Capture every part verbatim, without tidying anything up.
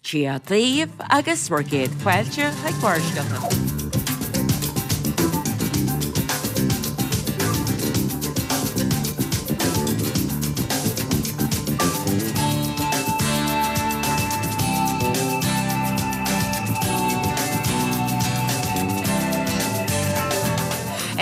Dia daoibh agus bhur gcéad fáilte chuig Barrscéalta.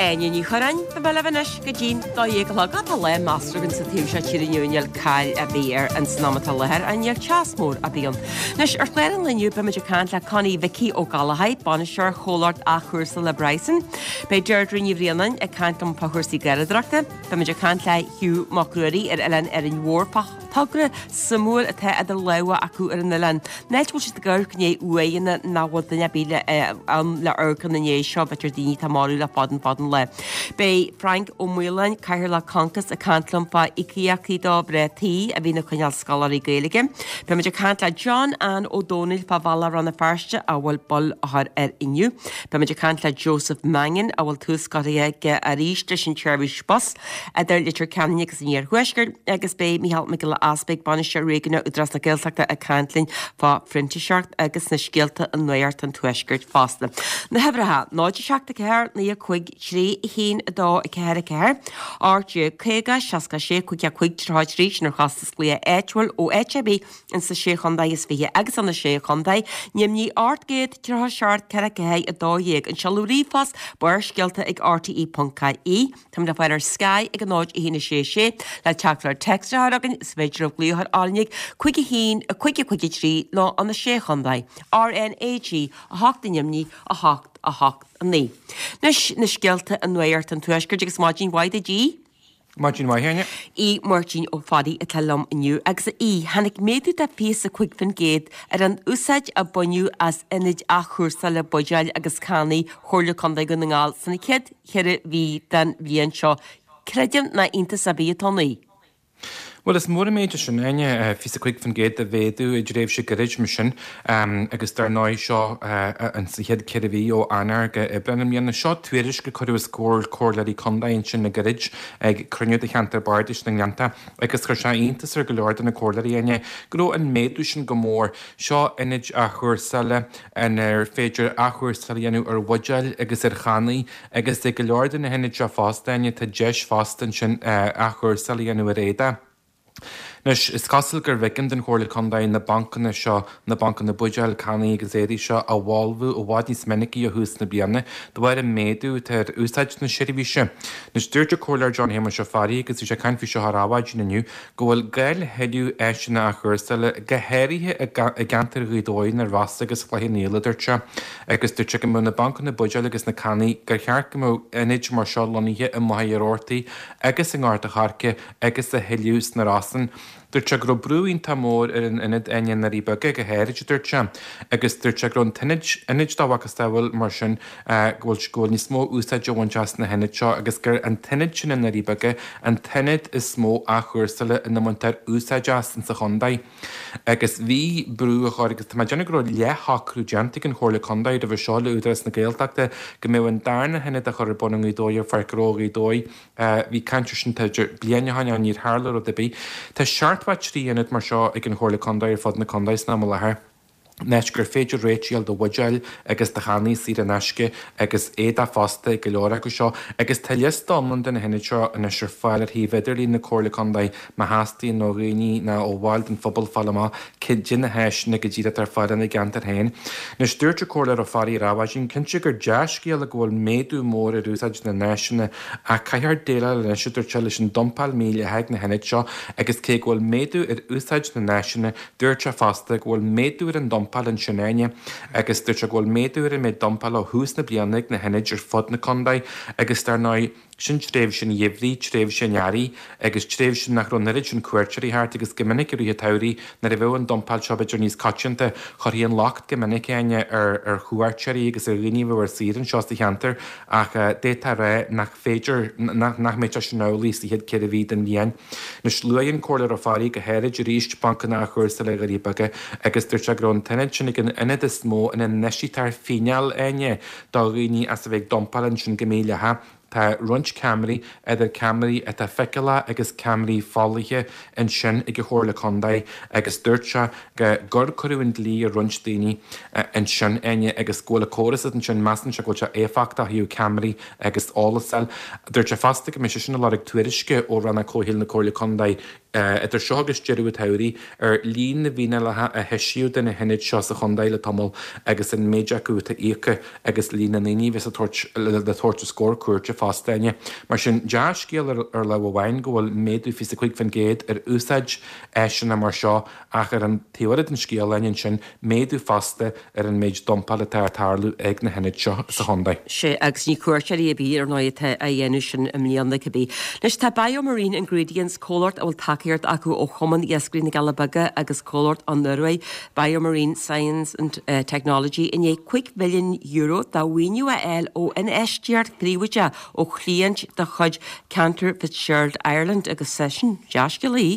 Áine Ní Churráin, beidh mé libh anois go dtí'n dó dhéag a chlog. Tá lá measartha againn sa taobh seo tíre inniu, níl caill ar bith air ins an am atá i láthair, ach níl teas mór ar bith ann. Anois, ar chlár an lae inniu, beimid ag caint le Connie Mhicí Ó Gallchóir, bainisteoir chomhlacht athchúrsála Bryson. Beidh Deirdre Ní Bhraonáin ag caint liom fá chúrsaí garraíodóireachta. Beimid ag caint le Hugh Mac Ruairí ar Oileán Árainn Mhór fá thogra suimiúil atá idir lámha acu ar an oileán. Áit a bhfuil siad ag amharc i ndiaidh uaigheanna nach bhfuil duine ar bith ann le amharc ina ndiaidh seo, b'fhéidir daoine atá marbh le fada an fada an lá. Beidh Frank Ó Maoláin, Cathaoirleach Concos, ag caint liom fá íocaíochtaí do mhná tí a bhíonn ag coinneáil scoláirí Gaeilge. Beimid ag caint le John Ann Ó Dónaill fá bhealach Rann na Feirste a bhfuil bail á chur air inniu. Beimid ag caint le Joseph Mangan a bhfuil tús curtha aige arís leis an tseirbhís bus idir Leitir Ceanainn agus an Iarthuaisceart agus beidh Mícheál Mac Giolla Easpaig, Bainisteoir Réigiúnach Údarás na Gaeltachta ag caint linn fá phrintíseacht agus na scéalta i Nuacht an Tuaiscirt fosta. Na huimhreacha, náid a seacht a ceathair, naoi a cúig, trí a haon a dó a ceathair a ceathair, ocht déag caoga, seasca a sé, cúig a cúig, tríocha a trí, sin ar chostas glaoch áitiúil ó áit ar bith ins na Sé Chontae is Fiche agus an na Sé Chontae, Nimhní ocht gcéad tríocha seacht ceithre ceathair a dó dhéag, an seoladh ríomhphost barrscéalta ag R T E ponc I E. Táimid le fáil ar Sky ag a náid a haon a sé sé le teachtaireacht téacs a chur chugainn. Is féidir libh glaoch ar R N Ag cúig a haon a cúig a cúig a trí nó an na Sé Chontae. R N A G a hocht i nDoimní a hocht a hocht a naoi. Anois na scéalta i Nuacht an Tuaiscirt agus maidin mhaith duit a Aoidh. Maidin mhaith, Áine. Aodh Máirtín Ó Fearraigh atá liom inniu agus a Aoidh, tháinig méadú de fiche a cúig faoin gcéad ar an úsáid a baineadh as ionaid athchúrsála buidéil agus cannaí Chomhairle Contae Dhún na nGall sna chéad cheithre mhí den bhliain seo. Creidim nach iontas ar bith atá ann. Bhuel, is mór an méid é sin, Áine, fiche a cúig faoin gcéad de mhéadú i dtréimhse gairid mar sin agus dar ndóigh seo an sa chéad ceithre mhí ó Eanáir go Aibreán i mbliana. Seo tuairisc a cuireadh os comhair comhairleoirí contae ansin le gairid ag cruinniú de cheantar bardais na nGleannta agus chuir sé iontas ar go leor de na comhairleoirí, Áine, go raibh an méadú sin go mór. Seo ionaid athchúrsála inar féidir athchúrsáil a dhéanamh ar bhuidéil agus ar channaí agus ag go leor de na hionaid seo fosta, Áine, tá deis fosta ansin athchúrsáil a dhéanamh ar éadach. Anois, is cosúil gur bh'éigean don Chomhairle Contae na bancanna seo, na bancanna buidéil, cannaí agus éadaí seo a bholbhú i bhfad níos minicí ó thús na bliana, de bharr an méadú atá ar úsáid na seirbhíse. Anois, dúirt an Comhairleoir John Shéamuis Ó Fearraigh, agus bhí sé ag caint faoi seo ar Adhmhaidin inniu, go bhfuil gá le thuilleadh áiseanna athchúrsála, go háirithe i gceantar Ghaoth Dobhair, na Rosa agus Chloich Cheann Fhaola, a dúirt sé. Agus dúirt sé go mbeadh na bancanna buidéil agus na cannaí, gur cheart go mbeadh ionaid mar seo lonnaithe i Machaire Rabhartaigh agus i nGort a' Choirce agus a thuilleadh sna Rosann. Dúirt sé go raibh brú iontach mór ar an ionad i nDoirí Beaga go háirid, a dúirt sé, agus dúirt sé go raibh an t-ionad, ionaid dá mhacasamhail mar sin, go bhfuil, go bhfuil níos mó úsáide á bhaint as na hionaid seo agus gur an t-ionad sin i nDoirí Beaga an t-ionad is mó athchúrsála ina mbaintear úsáid as insa chontae. Agus bhí brú á chur agus tá mé ag déanamh go raibh leathshocrú déanta ag an Chomhairle Contae roimhe seo le Údarás na Gaeltachta go mbeadh an darna hionad á chur ar bun i nGaoth Dobhair ar Pháirc Ghnó Ghaoth Dobhair. Bhí caint air sin b'fhéidir bliain ó shin ach níor tharla rud ar bith. Tá seachtó a trí ionad mar seo ag an Chomhairle Contae ar fud na contae san am i láthair, in áit gur féidir réiteach a fháil do bhuidéil agus do channaí saor in aisce agus éadach fosta ag go leor acu seo. Agus tá liosta iomlán de na hionaid seo anois ar fáil ar shuíomh idirlín na Comhairle Contae má theastaíonn ó dhaoine nó ó bhaill den phobal fáil amach cad iad na háiseanna go díreach atá ar fáil ina gceantar féin. Anois, dúirt an Comhairleoir Ó Fearraigh ar Adhmhaidin, cinnte gur dea-scéal é go bhfuil méadú mór ar úsáid na n-áiseanna ach caithfear déileáil anois, a dúirt sé, leis an dumpáil mhídhleathach ag na hionaid seo agus cé go bhfuil méadú ar úsáid na n-áiseanna, dúirt sé fosta go bhfuil méadú ar an dumpáil ansin, Áine, agus dúirt sé go bhfuil méadú ar an méid dumpála ó thús na bliana ag na hionaid ar fud na contae agus dar ndóigh, Sin tréimhse an gheimhridh, tréimhse an earraigh, agus tréimhse nach raibh an oiread sin cuairteoirí thart agus go minic i rith an tsamhraidh nuair a bheadh an dumpáil seo b'fhéidir níos coitianta, chuirfí an locht go minic, Áine, ar ar chuairteoirí agus ar dhaoine a bheadh ar saoire anseo sa cheantar ach d'fhéadfá a rá nach féidir, nach nach mbeadh sé sin amhlaidh sa chéad ceithre mhí den bhliain. Anois, luaigh an Comhairleoir Ó Fearraigh go háirid arís bancanna athchúrsála Dhoirí Beaga agus dúirt sé go raibh an t-ionad sin ag an ionad is mó ina n-eisítear fíneáil, Áine, do dhaoine as a bheith ag dumpáil ansin go mídhleathach. Tá roinnt ceamaraí, idir ceamaraí atá feiceálach agus ceamaraí folaithe ansin ag an Chomhairle Contae agus dúirt sé gur cuireadh an dlí ar roinnt daoine ansin, Áine, agus go bhfuil an córas ansin, measann sé go bhfuil sé éifeachtach ó thaobh ceamaraí agus eolas a fháil. Dúirt sé fosta go mbeidh sé sin ag lorg tuairisce ó Rannóg Comhshaoil na Comhairle Contae idir seo agus deireadh an tsamhraidh ar líon na bhfíneálacha a heisíodh do na hionaid seo sa chontae le tamall agus an méid acu atá íoctha agus líon na ndaoine a bheas le tabhairt os comhair cúirte fosta, Áine. Mar sin, dea-scéal ar lámh amháin go bhfuil méadú fiche is a cúig faoin gcéad ar úsáid áiseanna mar seo ach ar an taobh eile den scéal, Áine, ansin, méadú fosta ar an méid dumpáil atá ag tarlú ag na hionaid seo sa chontae. Sea, agus ní cuairteoirí ar bith, ar ndóigh, atá á dhéanamh sin i mbliana cibé. Anois, tá BioMarine Ingredients, comhlacht a bhfuil tacaíocht acu ó Chumann Iascairí na gCealla Beaga agus comhlacht ón Ioruaidh, BioMarine Science and Technology, i ndiaidh cúig mhilliún euro de mhaoiniú a fháil ó infheistíocht phríobháideach ó chliaint de chuid Cantor Fitzgerald Ireland agus sin dea-scéal í.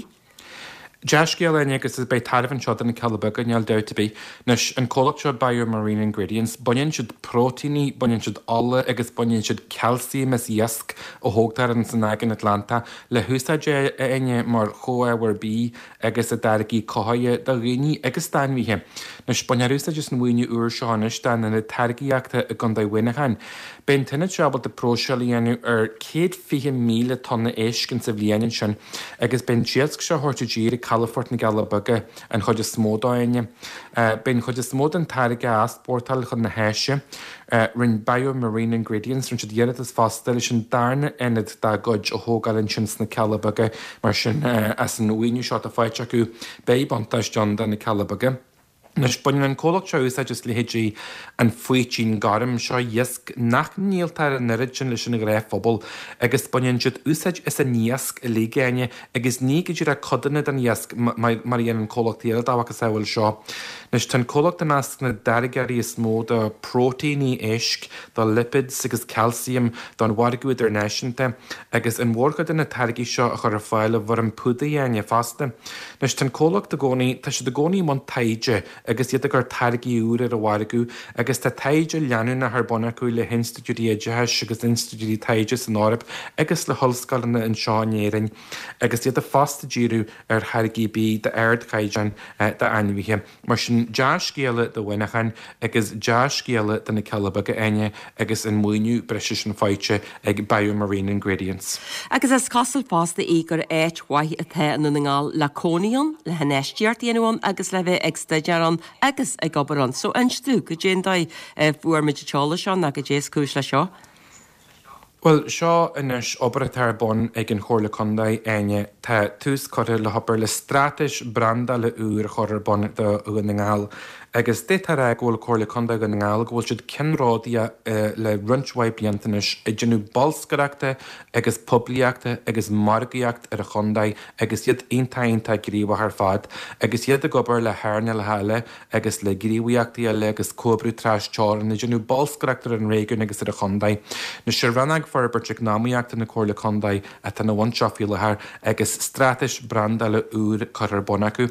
Dea-scéal é agus beidh tairbhe anseo do na Cealla Beaga, níl dabht ar bith. Anois, an comhlacht seo BioMarine Ingredients, baineann siad próitéiní, baineann siad ola agus baineann siad calcium as iasc a thógtar ins an Aigéan Atlantach le húsáid a Áine mar chomhábhar bídh agus i dtáirgí cothaithe do dhaoine agus d'ainmhithe. Anois, bainfear úsáid as an mhaoiniú úr seo anois dá n-ionad táirgíochta i gContae Mhuineacháin. Beidh an t-ionad seo ábalta próiseáil a dhéanamh ar céad fiche míle tonna éisc insa bhliain ansin agus beidh an t-iasc seo á thabhairt i dtír ag calafort na gCealla Beaga an chuid is mó dó, Áine. Beidh an chuid is mó den táirge á easpórtáil chun na hÁise. Rinne BioMarine Ingredients, rinne siad iarratas fosta leis an darna ionad dá gcuid a thógáil ansin sna Cealla Beaga mar sin as an mhaoiniú seo atá faighte acu beidh buntáiste ann do na Cealla Beaga. Anois, baineann an comhlacht seo úsáid as leithéidí an faoitín gorm, seo iasc nach ndíoltar an oiread sin leis an ghnáthphobal, agus baineann siad úsáid as an iasc uilig, Áine, agus ní go díreach codanna den iasc mar a dhéanann comhlachtaí eile dá mhacasamhail seo. Anois, tá an comhlacht i measc na dtáirgeoirí is mó de phróitéiní éisc, de lipids agus calcium don mhargadh idirnáisiúnta, agus an mhórchuid de na táirgí seo a chur ar fáil i bhfoirm púdair, Áine, fosta. Anois, tá an comhlacht i gcónaí, tá siad i gcónaí i mbun taighde agus iad ag cur táirgí úra ar an mhargadh agus tá taighde leanúnach ar bun acu le hinstitiúidí oideachais agus institiúidí taighde san Eoraip agus le hollscoileanna anseo in Éirinn agus iad fosta ag díriú ar tháirgí bídh d'ardchaighdeán d'ainmhithe. Mar sin, dea-scéala do Mhuineachán agus dea-scéala do na Cealla Beaga, Áine, agus an maoiniú breise sin faighte ag BioMarine Ingredients. Agus is cosúil fosta í gur áit mhaith atá i nDún na nGall le cónaí ann, le hinfheistíocht a dhéanamh ann agus le bheith ag staidéar ann agus ag obair ann. So inis dúinn, goidé an dóigh a bhfuair muid an t-eolas seo nó goidé is cúis leis seo. Bhuel, seo anois obair atá ar bun ag an Chomhairle Contae, Áine. Tá tús curtha le hobair le straitéis brandála úr a chur ar bun do Dhún na nGall. Agus d'fhéadfá a rá go bhfuil Comhairle Contae Dhún na nGall, go bhfuil siad ceannródaíoch le roinnt mhaith blianta anois ag déanamh bolscaireachta agus poiblíochta agus margaíocht ar an chontae agus iad iontach iontach gníomhach ar fad agus iad ag obair le hearnálacha eile agus le gníomhaíochtaí eile agus comhoibriú tras-teorann ag déanamh bolscaireacht ar an réigiún agus ar an chontae. Anois sé Rannóg Forbairt Eacnamaíochta na Comhairle Contae atá ina bhun seo faoi láthair agus straitéis brandála úr curtha ar bun acu.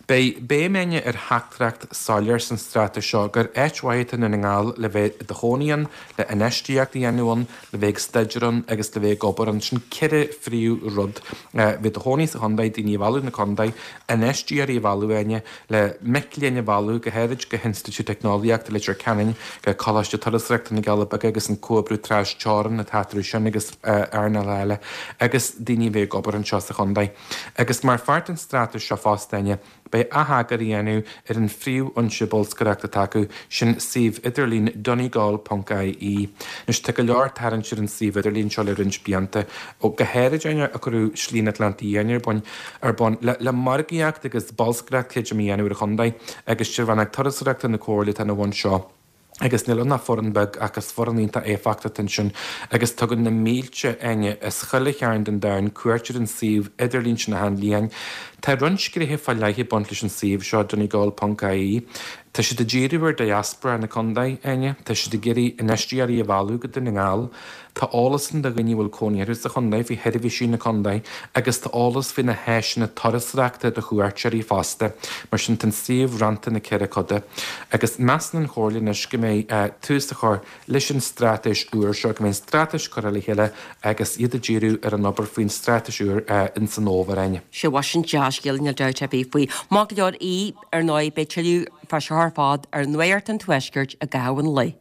Beidh béim Áine ar theachtaireacht soiléir san straitéis seo gur áit mhaith atá i nDún na nGall le bheith i do chónaí ann, le infheistíocht a dhéanamh ann, le bheith ag staidéar ann agus le bheith ag obair ann. Sin ceithre phríomh-rud. Bheith i do chónaí sa chontae, daoine a mhealladh na contae, infheisteoirí a mhealladh, Áine, le mic léinn a mhealladh, go háirid go hInstitiúid Teicneolaíochta Leitir Ceanainn, go Coláiste Turasóireachta na gCealla Beaga agus an comhoibriú tras-teorann atá eatarthu sin agus earnálacha eile, agus daoine a bheith ag obair anseo sa chontae. Agus mar pháirt den straitéis seo fosta, Áine, Beidh atheagar á dhéanamh ar an phríomhfhoinse bolscaireachta atá acu, sin suíomh idirlín donegal ponc ie. Anois, tá go leor tarraingt ar an suíomh idirlín seo le roinnt blianta, ó go háirid ó cuireadh Slí an Atlantaigh Fhiáin ar bun, ar bun le le margaíocht agus bolscaireacht creidim a dhéanamh ar an chontae agus sé Rannóg Turasóireachta na Comhairle atá ina bhun seo. Agus níl ann ach foireann beag ach is foireann iontach éifeachtach atá ansin agus tugann na mílte, Áine, as chuile chearn den domhan cuairt ar an suíomh idirlín sin achan bhliain. Tá roinnt gnéithe fá leith ag baint leis an suíomh seo donegal ponc ie. Tá siad ag díriú ar diaspora na contae, Áine. Tá siad ag iarraidh infheisteoirí a mhealladh go Dún na nGall. Tá eolas ann do dhaoine a bhfuil cónaí orthu sa chontae faoi sheirbhísí na contae agus tá eolas faoi na háiseanna turasóireachta do chuairteoirí fosta. Mar sin tá an suíomh roinnte ina ceithre coda. Agus measann an Chomhairle anois go mbeidh tús á chur leis an straitéis úr seo, go mbeidh an straitéis curtha le chéile agus iad ag díriú ar an obair faoin straitéis úr ins an fhómhar, Áine. Sea, bhuel sin dea-scéal, níl dabht ar bith faoi. Maith go leor í, ar ndóigh, beidh tuilleadh fá seo ar fad ar Nuacht an Tuaiscirt i gcaitheamh an lae.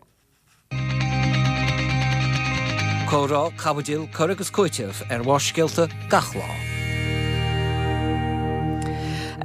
Comhrá, caibidil, cur agus cúiteamh ar bharrscéalta gach lá.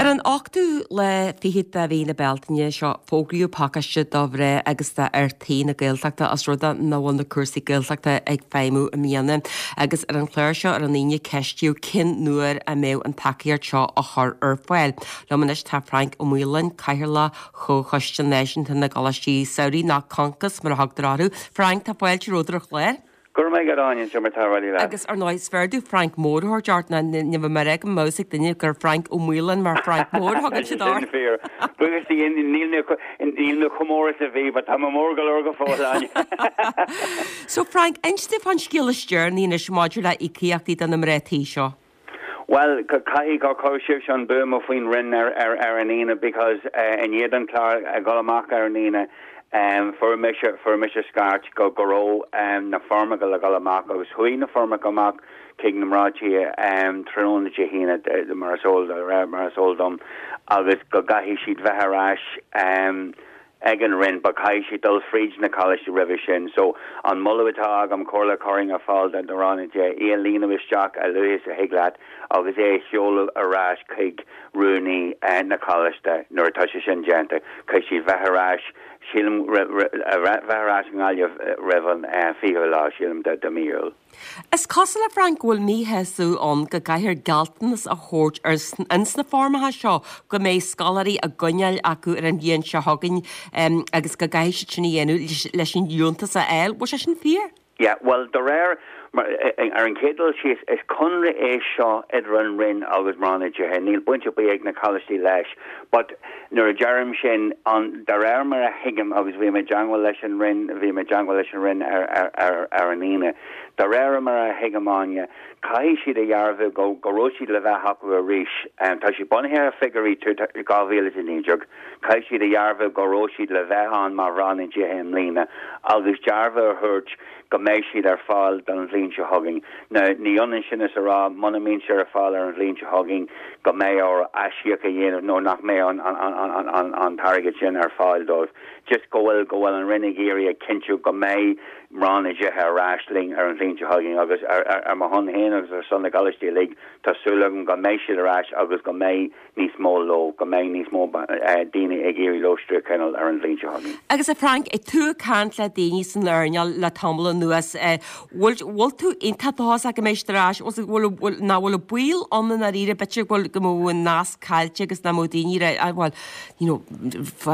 Ar an ochtú lá fichead de mhí na Bealtaine seo fógraíodh pacáiste do mhná agus d'fhir tí na Gaeltachta os rud é nach bhfuil na cúrsaí Gaeltachta ag feidhmiú i mbliana agus ar an chlár seo ar an Aoine ceistíodh cén uair a mbeadh an tacaíocht seo á chur ar fáil. Liom anois tá Frank Ó Maoláin, Cathaoirleach Chomhchoiste Náisiúnta na gColáistí Samhraidh, nó Concos mar a thugtar orthu. Frank, tá fáilte romhat ar an chlár. Go raibh maith agat Áine, seo mar tá rudaí leat. Agus ar ndóigh, is fearr domh Frank Mór a thabhairt ort ná ní bheidh mé ag rá go mbeadh ag duine gur Frank Ó Maoláin mar Frank Mór a thugann siad ort. Sin fíor. Buíochas do Dhia, níl mé níl mé chomh mór is a bhí, but tá mé mór go leor go fóill, Áine. So Frank, inis domh fán scéal is deireanaí anois maidir le íocaíochtaí do na mná tí seo. Well, caithfidh gur chuir sibhse an buama faoin Roinn ar ar ar an Aoine because i ndiaidh don chlár a dhul amach ar an Aoine, fuair mise fuair mise scairt go go raibh na foirmeacha le dhul amach agus chuaigh na foirmeacha amach chuig na mná tí tráthnóna Dé hAoine mar is eol mar is eol dom agus go gcaithfidh siad bheith ar ais ag an Roinn but caithfidh siad dul fríd na coláistí roimhe sin. So an moladh atá agam comhairle a chuirfinn ar fáil do mhná tí é a líonadh isteach a luaithe is a thig leat agus é a sheoladh ar ais chuig rúnaí na coláiste nuair atá sé sin déanta. Caithfidh siad bheith ar ais sílim bheith ar ais i nGaillimh roimh an fichiú lá sílim de de mí Iúil. Is cosúil a Frank go bhfuil míshásamh ann go gcaithfear gealltanas a thabhairt ar ins na foirmeacha seo go mbeidh scoláirí á gcoinneáil acu ar an bhliain seo chugainn agus go gcaithfidh siad sin a dhéanamh leis an liúntas a fháil. Bhfuil sé sin fíor? Yeah, well de réir mar ar an chéad dul síos is conradh é seo idir an Roinn agus mná na dtithe. Níl baint ar bith ag na coláistí leis, but nuair a deirim sin an de réir mar a thuigim agus bhí mé i dteagmháil leis an Roinn, bhí mé i dteagmháil leis an Roinn ar ar ar ar an Aoine. De réir mar a thuigim Áine, caithfidh siad a dhearbhu go go raibh siad le bheith acu arís. Um, tá siad bunaithe ar figiúirí dhá mhíle a naoi déag. Caithfidh siad a dhearbhu go raibh siad le bheith ann mar mhná na dtithe i mbliana agus dearbhu a thabhairt go mbeidh siad ar fáil don bhliain seo chugainn. Now ní ionann sin is a rá muna mbíonn siad ar fáil ar an bhliain seo chugainn go mbeidh orthu aisíoc a dhéanamh nó nach mbeidh an an an an an an t-airgead sin ar fáil dóibh. Just go bhfuil go bhfuil an Roinn ag iarraidh a chinntiú go mbeidh mná na dtithe ar ais linn ar an bhliain seo chugainn agus ar ar ar mo shon féin agus ar son na gcoláistí uilig tá súil agam go mbeidh siad ar ais agus go mbeidh níos mó leo, go mbeidh níos mó daoine ag iarraidh lóistín a choinneáil ar an bhliain seo chugainn. Agus a Frank, ag tú ag caint le daoine san earnáil le tamall anuas, bhfuil bhfuil tú iontach dóchasach go mbeidh siad ar ais, bhfuil bhfuil nach bhfuil baol ann i ndáiríre b'fhéidir go bhfuil go mbeadh an nasc caillte agus nach mbeadh daoine ar bhuel you know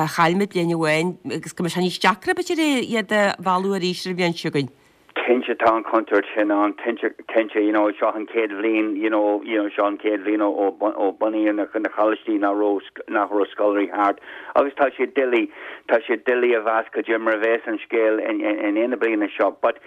chaill muid bliain amháin agus go mbeidh sé níos deacra b'fhéidir iad a mhealladh arís ar an bhliain seo chugainn. Cinnte tá an chontúirt sin ann cinnte cinnte you know seo an chéad bhliain you know you know seo an chéad bhliain ó ó bunaíodh na na coláistí nach raibh nach raibh scoláirí thart agus tá sé doiligh tá sé doiligh a mheas cad é mar a bheas an scéal in in in aon na bliana seo but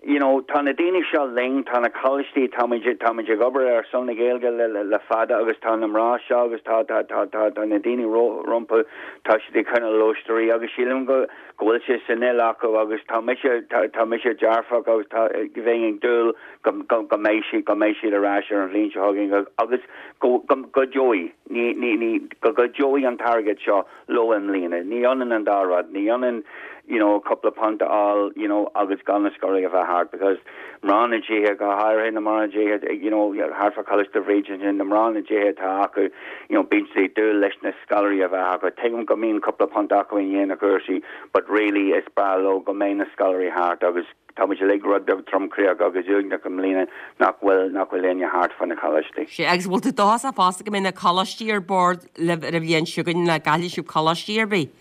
you know tá na daoine seo linn tá na coláistí táimid táimid ag obair ar son na Gaeilge le, le, le fada agus tá na mná seo agus tá tá tá tá tá na daoine rompu tá siad ag coinneáil lóistíní agus sílim go go bhfuil sé san fhuil acu agus tá mise tá mise dearfach agus tá bheinn ag dúil go go go mbeidh siad go mbeidh siad ar ais ar an bhliain seo chugainn agus go go go dtiocfaidh ní ní ní go go dtiocfaidh an t-airgead seo leo i mbliana ní ionann an dá rud ní ionann you know cúpla punt a fháil you know agus gan na scoláirí a bheith thart because mná na dtithe go háirithe na mná na dtithe you know thart fá Choláiste Bhríde sin na mná na dtithe atá acu you know bíonn siad ag dúil leis na scoláirí a bheith acu tuigim go mbíonn cúpla punt acu i ndiaidh na cúrsaí but really is breá leo go mbeidh na scoláirí thart agus táimid uilig rud beag tromchroíoch agus uaigneach i mbliana nach bhfuil nach bhfuil éinne thart fá na coláistí. Sé agus bhfuil tú dóchasach fosta go mbeidh na coláistí ar bord libh ar an bhliain seo chugainn nach gcaillfidh sibh coláistí ar bith.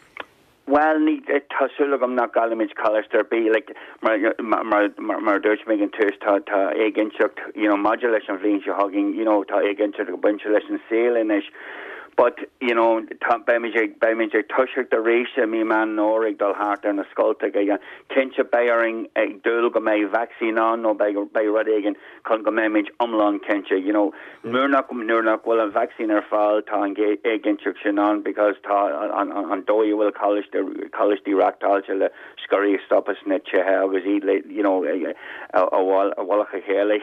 Well, ní tá súil agam nach gcaillfimid coláiste ar bith like mar mar mar mar dúirt mé an tús tá tá éiginnteacht you know maidir leis an bhliain seo chugainn you know tá éiginnteacht ag baint leis an saol anois but you know tá beimid ag beimid ag toiseacht arís i mí Meán Fómhair ag dul thart ar na scoltacha ag cinnte beidh orainn ag dúil go mbeidh vaccine ann nó beidh beidh rud éigin chun go mbeimid iomlán cinnte you know nuair nach nuair nach bhfuil an vaccine ar fáil tá an éiginnteacht sin ann because tá an an an dóigh a bhfuil coláiste coláistí reáchtáilte le scoláirí stopadh sna tithe agus iad le you know a a bhfuil a chéile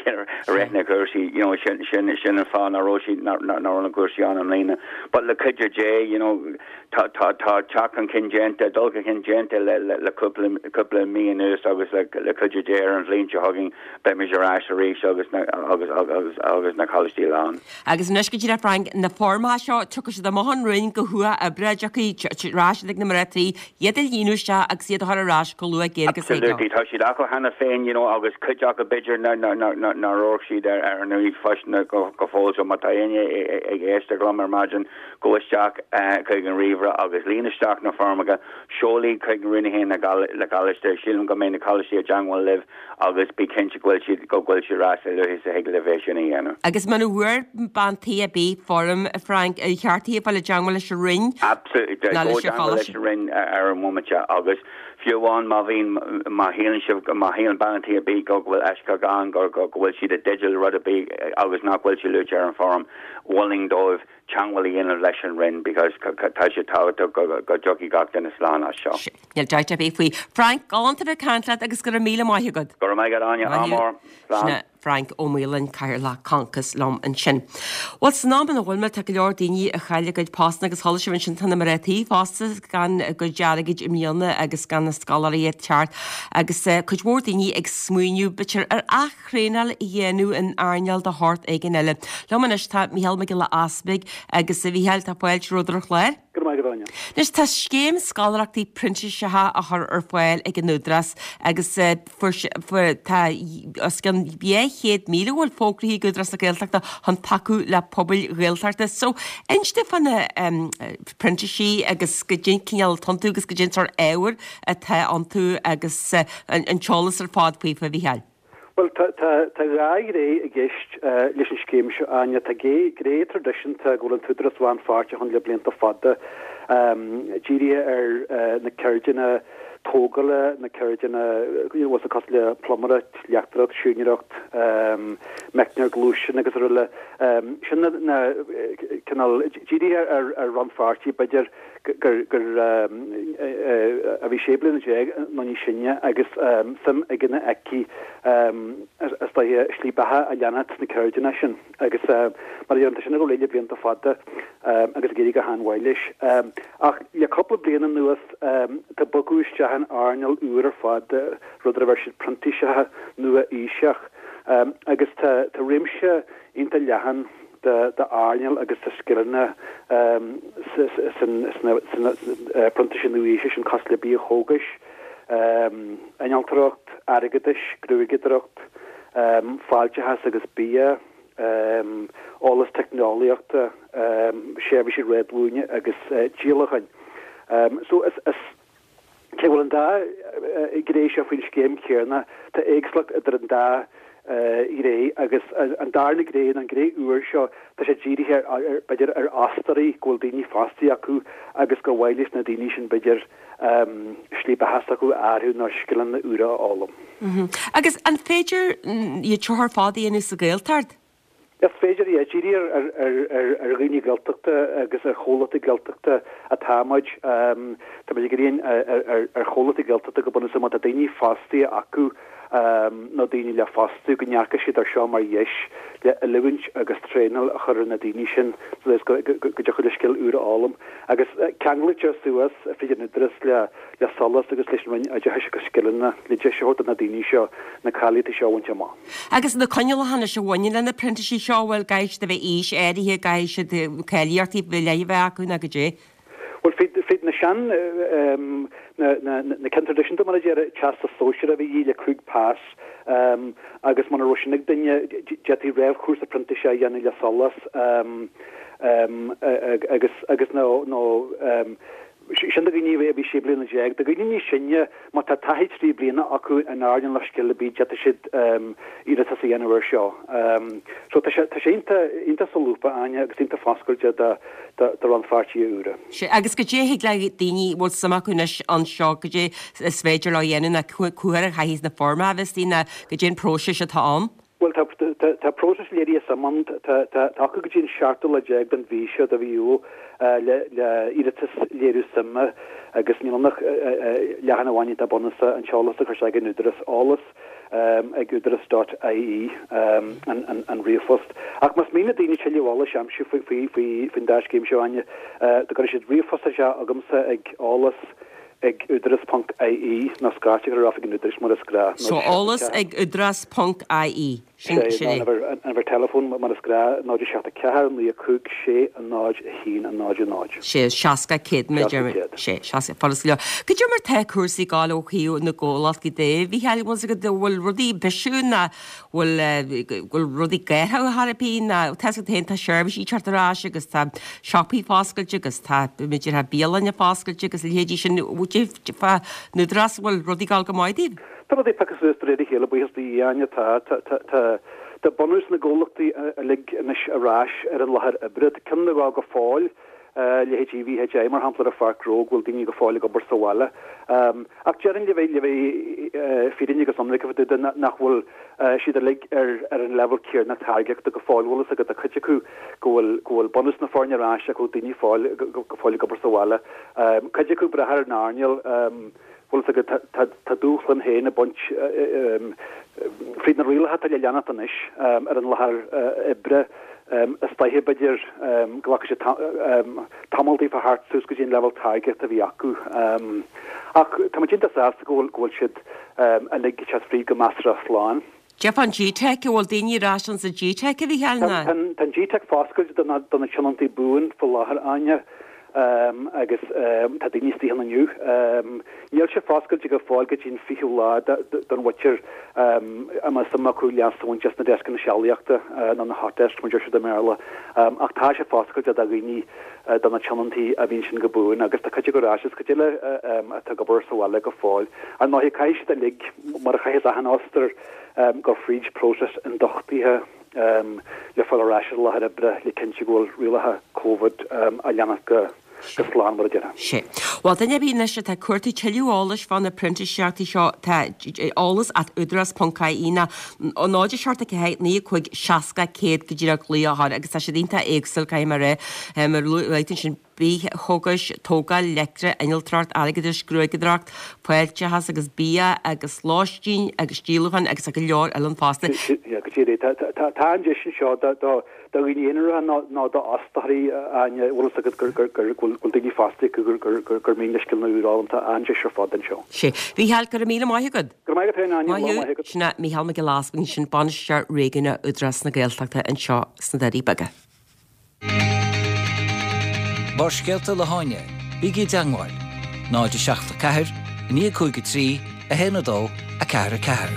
rith na cúrsaí you know sin sin sin an fáth nach raibh siad nach raibh na cúrsaí ann i mbliana but le cuidiú Dé you know tá tá tá teacht chun cinn déanta dul chun cinn déanta le le le cúpla cúpla mí anuas agus le le cuidiú Dé ar an bhliain seo chugainn beimid ar ais arís agus na agus agus agus na coláistí lán. Agus anois go díreach Frank na foirmeacha seo tiocfaidh siad amach ón Roinn go huathoibríoch tiocfaidh ar ais ag na mná tí iad a líonadh isteach agus iad a chur ar ais chomh luath géar agus Absolutely tá siad acu cheana féin you know agus cuid acu b'fhéidir na na na na na raibh siad ar ar an ríomhphost go go fóill so má tá éinne ag éisteacht liom ar maidin gabh isteach chuig an ríomhaire agus líon isteach na foirmeacha seol iad chuig an Roinn féin na le coláiste sílim go mbeidh na coláistí i dteagmháil libh agus bí cinnte go bhfuil siad go bhfuil siad ar ais a luaithe is a thig libh é sin a dhéanamh. Agus muna bhfuair bean tí ar bith foirm Frank ar cheart di fáil i dteagmháil leis an Roinn Absolutely ná leis an leis an Roinn ar an móimint agus fiú amháin má bhíonn má shíleann sibh má shíleann bean tí ar bith go bhfuil eisceacht ann go go bhfuil siad i dteideal rud ar bith agus nach bhfuil sé luaite ar an bhfoirm mholfainn dóibh teagmháil a dhéanamh leis an Roinn because tá sé tábhachtach go go dtiocfaidh gach duine slán as seo. Níl dabht ar bith faoi. Frank galánta bheith ag caint leat agus go raibh míle maith agat. Go raibh maith agat Áine ámór Sin Frank Ó Maoláin Cathaoirleach Concos liom ansin. Well san am ina bhfuil mé tá go leor daoine a chaill a gcuid postanna agus chuala sibh ansin tá na mná tí fosta gan a gcuid airgid i mbliana agus gan na scoláirí ag teacht agus uh, cuid mhór daoine ag smaoineamh b'fhéidir ar aththraenáil a dhéanamh in earnáil de shórt éigin eile. Liom anois tá Micheál Mac Giolla Easpaig agus a Mhichíl tá fáilte romhat ar an chlár. Go maith go Anois tá scéim scoláireachtaí printíseacha á chur ar fáil ag an Údarás agus uh, tá os cionn dhá chéad míle bhfuil fógraithe ag Údarás na Gaeltachta chun tacú le pobail Ghaeltachta. So inis dúinn fá na um, printísigh agus goidé an cineál atá iontu agus goidé an sórt ábhair atá iontu agus uh, an, an t-eolas ar fad faoi a Mhichíl. Well tá dhá ghné i gceist leis an scéim seo Áine tá gné traidisiúnta go bhfuil an tÚdarás lánpháirteach ann le blianta fada dírithe ar na ceirdeanna tógála na ceirdeanna was cosúil le pluiméireacht, leachtóireacht, siúinéireacht, meicneoir gluaisteán agus araile sin na cineál dírithe ar ar rannpháirtí b'fhéidir gur gur a bhí sé bliana déag nó níos sine agus suim aige nó aici is dóiche slí beatha a leanacht sna ceirdeanna sin agus mar a sin go le blianta fada agus ag éirí go han-mhaith leis. Ach le cúpla bliain anuas tá bogadh isteach in earnáil úr ar fad rud ar a bheir siad printíseacha nua-aoiseach agus tá tá réimse iontach leathan d'earnáil agus de scileanna sna printísigh nua-aoise sin cosúil le bia-chógais, innealtóireacht, airgeadais, gruaigeadóireacht, fáilteachas agus bia, eolas teicneolaíochta, seirbhísí réadmhaoine agus díolacháin. So is is cé bhfuil an dá ghné seo faoin scéim chéanna tá éagsúlacht idir an dá ghné agus an darna gné an ghné úr seo tá sé dírithe b'fhéidir ar fhostóirí go bhfuil daoine fostaithe acu agus gur mhaith leis na daoine sin b'fhéidir slí beatha s'acu a athrú nó scileanna úra a fhoghlaim. Agus an féidir iad seo ar fad a dhéanamh sa Ghaeltacht? Is féidir é dírithe ar dhaoine Gaeltachta agus ar chomhlachtaí Gaeltachta atá muid Tá muid ag iarraidh ar chomhlachtaí Gaeltachta go bunúsach má tá daoine fostaithe acu nó daoine le fostú go ndearcfaidh siad ar seo mar dheis le oiliúint agus traenáil a chur ar na daoine sin go dtiocfaidh le scil úr a fhoghlaim. Agus ceanglaítear suas fríd an Údarás le le SOLAS agus leis an Roinn Oideachais agus Scileanna le deis a thabhairt do na daoine seo na cáilíochtaí seo a bhaint amach. Agus na coinníollacha anois a bhaineann le na printísigh seo bhfuil caithfidh siad a bheith aois áirithe caithfidh siad cáilíochtaí faoi leith a bheith acu nó goidé. Well fríd na sean na na na cinn traidisiúnta mar a deir teastas sóisearach a bhí le cúig pas agus muna raibh sin ag duine d'fhéadfaí réamhchúrsa printíse a dhéanamh le SOLAS agus agus nó nó Sin do dhaoine a bhí sé bliana déag. Do dhaoine níos sine, má tá taithí trí bliana acu in earnáil na scil ar bith, d'fhéadfadh siad iarratas a dhéanamh air seo. So tá sé tá sé iontach iontach solúbtha, Áine, agus iontach foscailte do do do rannpháirtithe úra. Sea, agus goidé a thig le daoine a bhfuil suim acu anois anseo, goidé is féidir leo a dhéanamh ná cá huair a chaithfidh na foirmeacha a bheith istigh ná goidé an próiseas atá ann? Bhuel, tá, tá, tá próiseas léirithe suime ann. Tá, tá, tá acu go dtí an seachtú lá déag den mhí seo, de mhí Iúil, le, le iarratas léiriú suime agus níl ann ach leathanach amháin atá bunúsach, an t-eolas a chur isteach ag an Údarás, eolas ag údaras dot ie an, an, an ríomhphost. Ach más mian le daoine tuilleadh eolais a aimsiú faoi, faoi, faoi, faoin dá scéim seo, Áine, do cuirfidh siad ríomhphost isteach agamsa ag eolas ag údaras ponc ie nó scairt a chur ar oifig an Údarais mar is gnách. So eolas ag údaras ponc ie. Sin sin é. An uimhir teileafóin mar is gnách, náid a seacht a ceathair, naoi a cúig, sé, a náid, a haon, a náid, a náid. Sé, seasca céad mar a deir muid. Sé, seasca, furast go leor. Goidé mar tá cúrsaí ag gabháil ó thaobh na gcomhlachtaí de, a Mhícheáil, bhfuil fhios agat, an bhfuil rudaí ag bisiú nó bhfuil, bhfuil rudaí ag athrú ar chor ar bith nó tá fhios agat féin tá seirbhísí ag teacht ar ais agus tá siopaí foscailte agus tá b'fhéidir tá bialanna foscailte agus a leithéidí sin fá an Údarás an bhfuil rudaí ag gabháil go maith daoibh? Tá rudaí ag piocadh suas de réir a chéile, buíochas do Dhia, Áine, tá, tá, tá, tá, tá bunús na gcomhlachtaí uilig anois ar ais ar an láthair oibre. Tá ceann nó dhó go fóill, leithéidí VHI mar shampla ar an Pháirc Ghnó go bhfuil daoine go fóill ag obair sa bhaile. Ach déarfainn le bheith le bheith fírinneach agus ionraic fá dtaobh de nach bhfuil siad uilig ar ar an leibhéal céanna táirgeachta go fóill. Bhfuil fhios agat, tá cuid acu go bhfuil go bhfuil bunús na foirne ar ais ach go bhfuil daoine fóill go fóill ag obair sa bhaile. Cuid acu ag brath ar an earnáil. Bhfuil fhios agat, tá tá dúshlán féin ag baint fríd na rialacha atá le leanacht anois ar an láthair oibre. Is dóiche, b'fhéidir, go nglacfaidh sé tamall daofa theacht suas go dtí an leibhéal táirgeachta a bhí acu. Ach tá muid iontach sásta go bhfuil go bhfuil siad uilig ag teacht fríd go measartha slán. Goidé fán G-Teic, an bhfuil daoine ar ais ins an G-Teic, a Mhícheáil, ná? Tá an G-Teic foscailte do na do na tionóntaí buan faoi láthair, Áine. Agus tá daoine istigh ann inniu. Níl sé foscailte go fóill go dtí an fichiú lá don mhuintir a mbeadh suim acu leas a bhaint as na deascanna sealaíochta, nó na hot desks mar a deir siad i mBéarla. Ach tá sé foscailte do dhaoine, do na tionóntaí a bhí ansin go buan agus tá cuid acu ar ais agus cuid eile atá ag obair sa bhaile go fóill. Ar ndóigh, caithfidh siad uilig, mar a chaithfeas achan fhostóir, dul fríd próiseas ionduchtaithe. le fáil ar ais ar an láthair oibre le cinntiú go bhfuil rialacha Covid á leanacht go slán mar a déarfá. Sea. Bhuel, duine ar bith anois atá ag cuartú tuilleadh eolais fá na printíseachtaí seo, tá eolas at údarás ponc ie nó náid a seacht a ceathair naoi a cúig seasca céad go díreach glaoch a chur agus tá siad iontach éagsúil, caithfidh mé a rá, mar luaigh tú ansin bithchógais, tógáil, leictreach, innealtóireacht, airgeadais, gruaigeadóireacht, fáilteachas agus bia agus lóistín agus díolúcháin agus go leor eile ann fosta. Go díreach. Tá an deis anseo do dhaoine aonaracha nó d'fhostóirí, Áine, bhfuil fhios agat gur go bhfuil daoine fostaithe acu gur mian leo scileanna úra a fhoghlaim. Tá an-deis ar fad anseo. Sea. Mhícheál, go raibh míle maith agat. Go raibh maith agat féin, Áine. Lá maith agat. Sin é Mícheál Mac Giolla Easbuig ansin, Bainisteoir Réigiúnach Údarás na Gaeltachta anseo sna Doirí Beaga. Barrscéalta le hÁine, bígí i dteangmháil, náid a seacht a ceathair, a naoi a cúig a trí, a haon a dó, a ceathair a ceathair.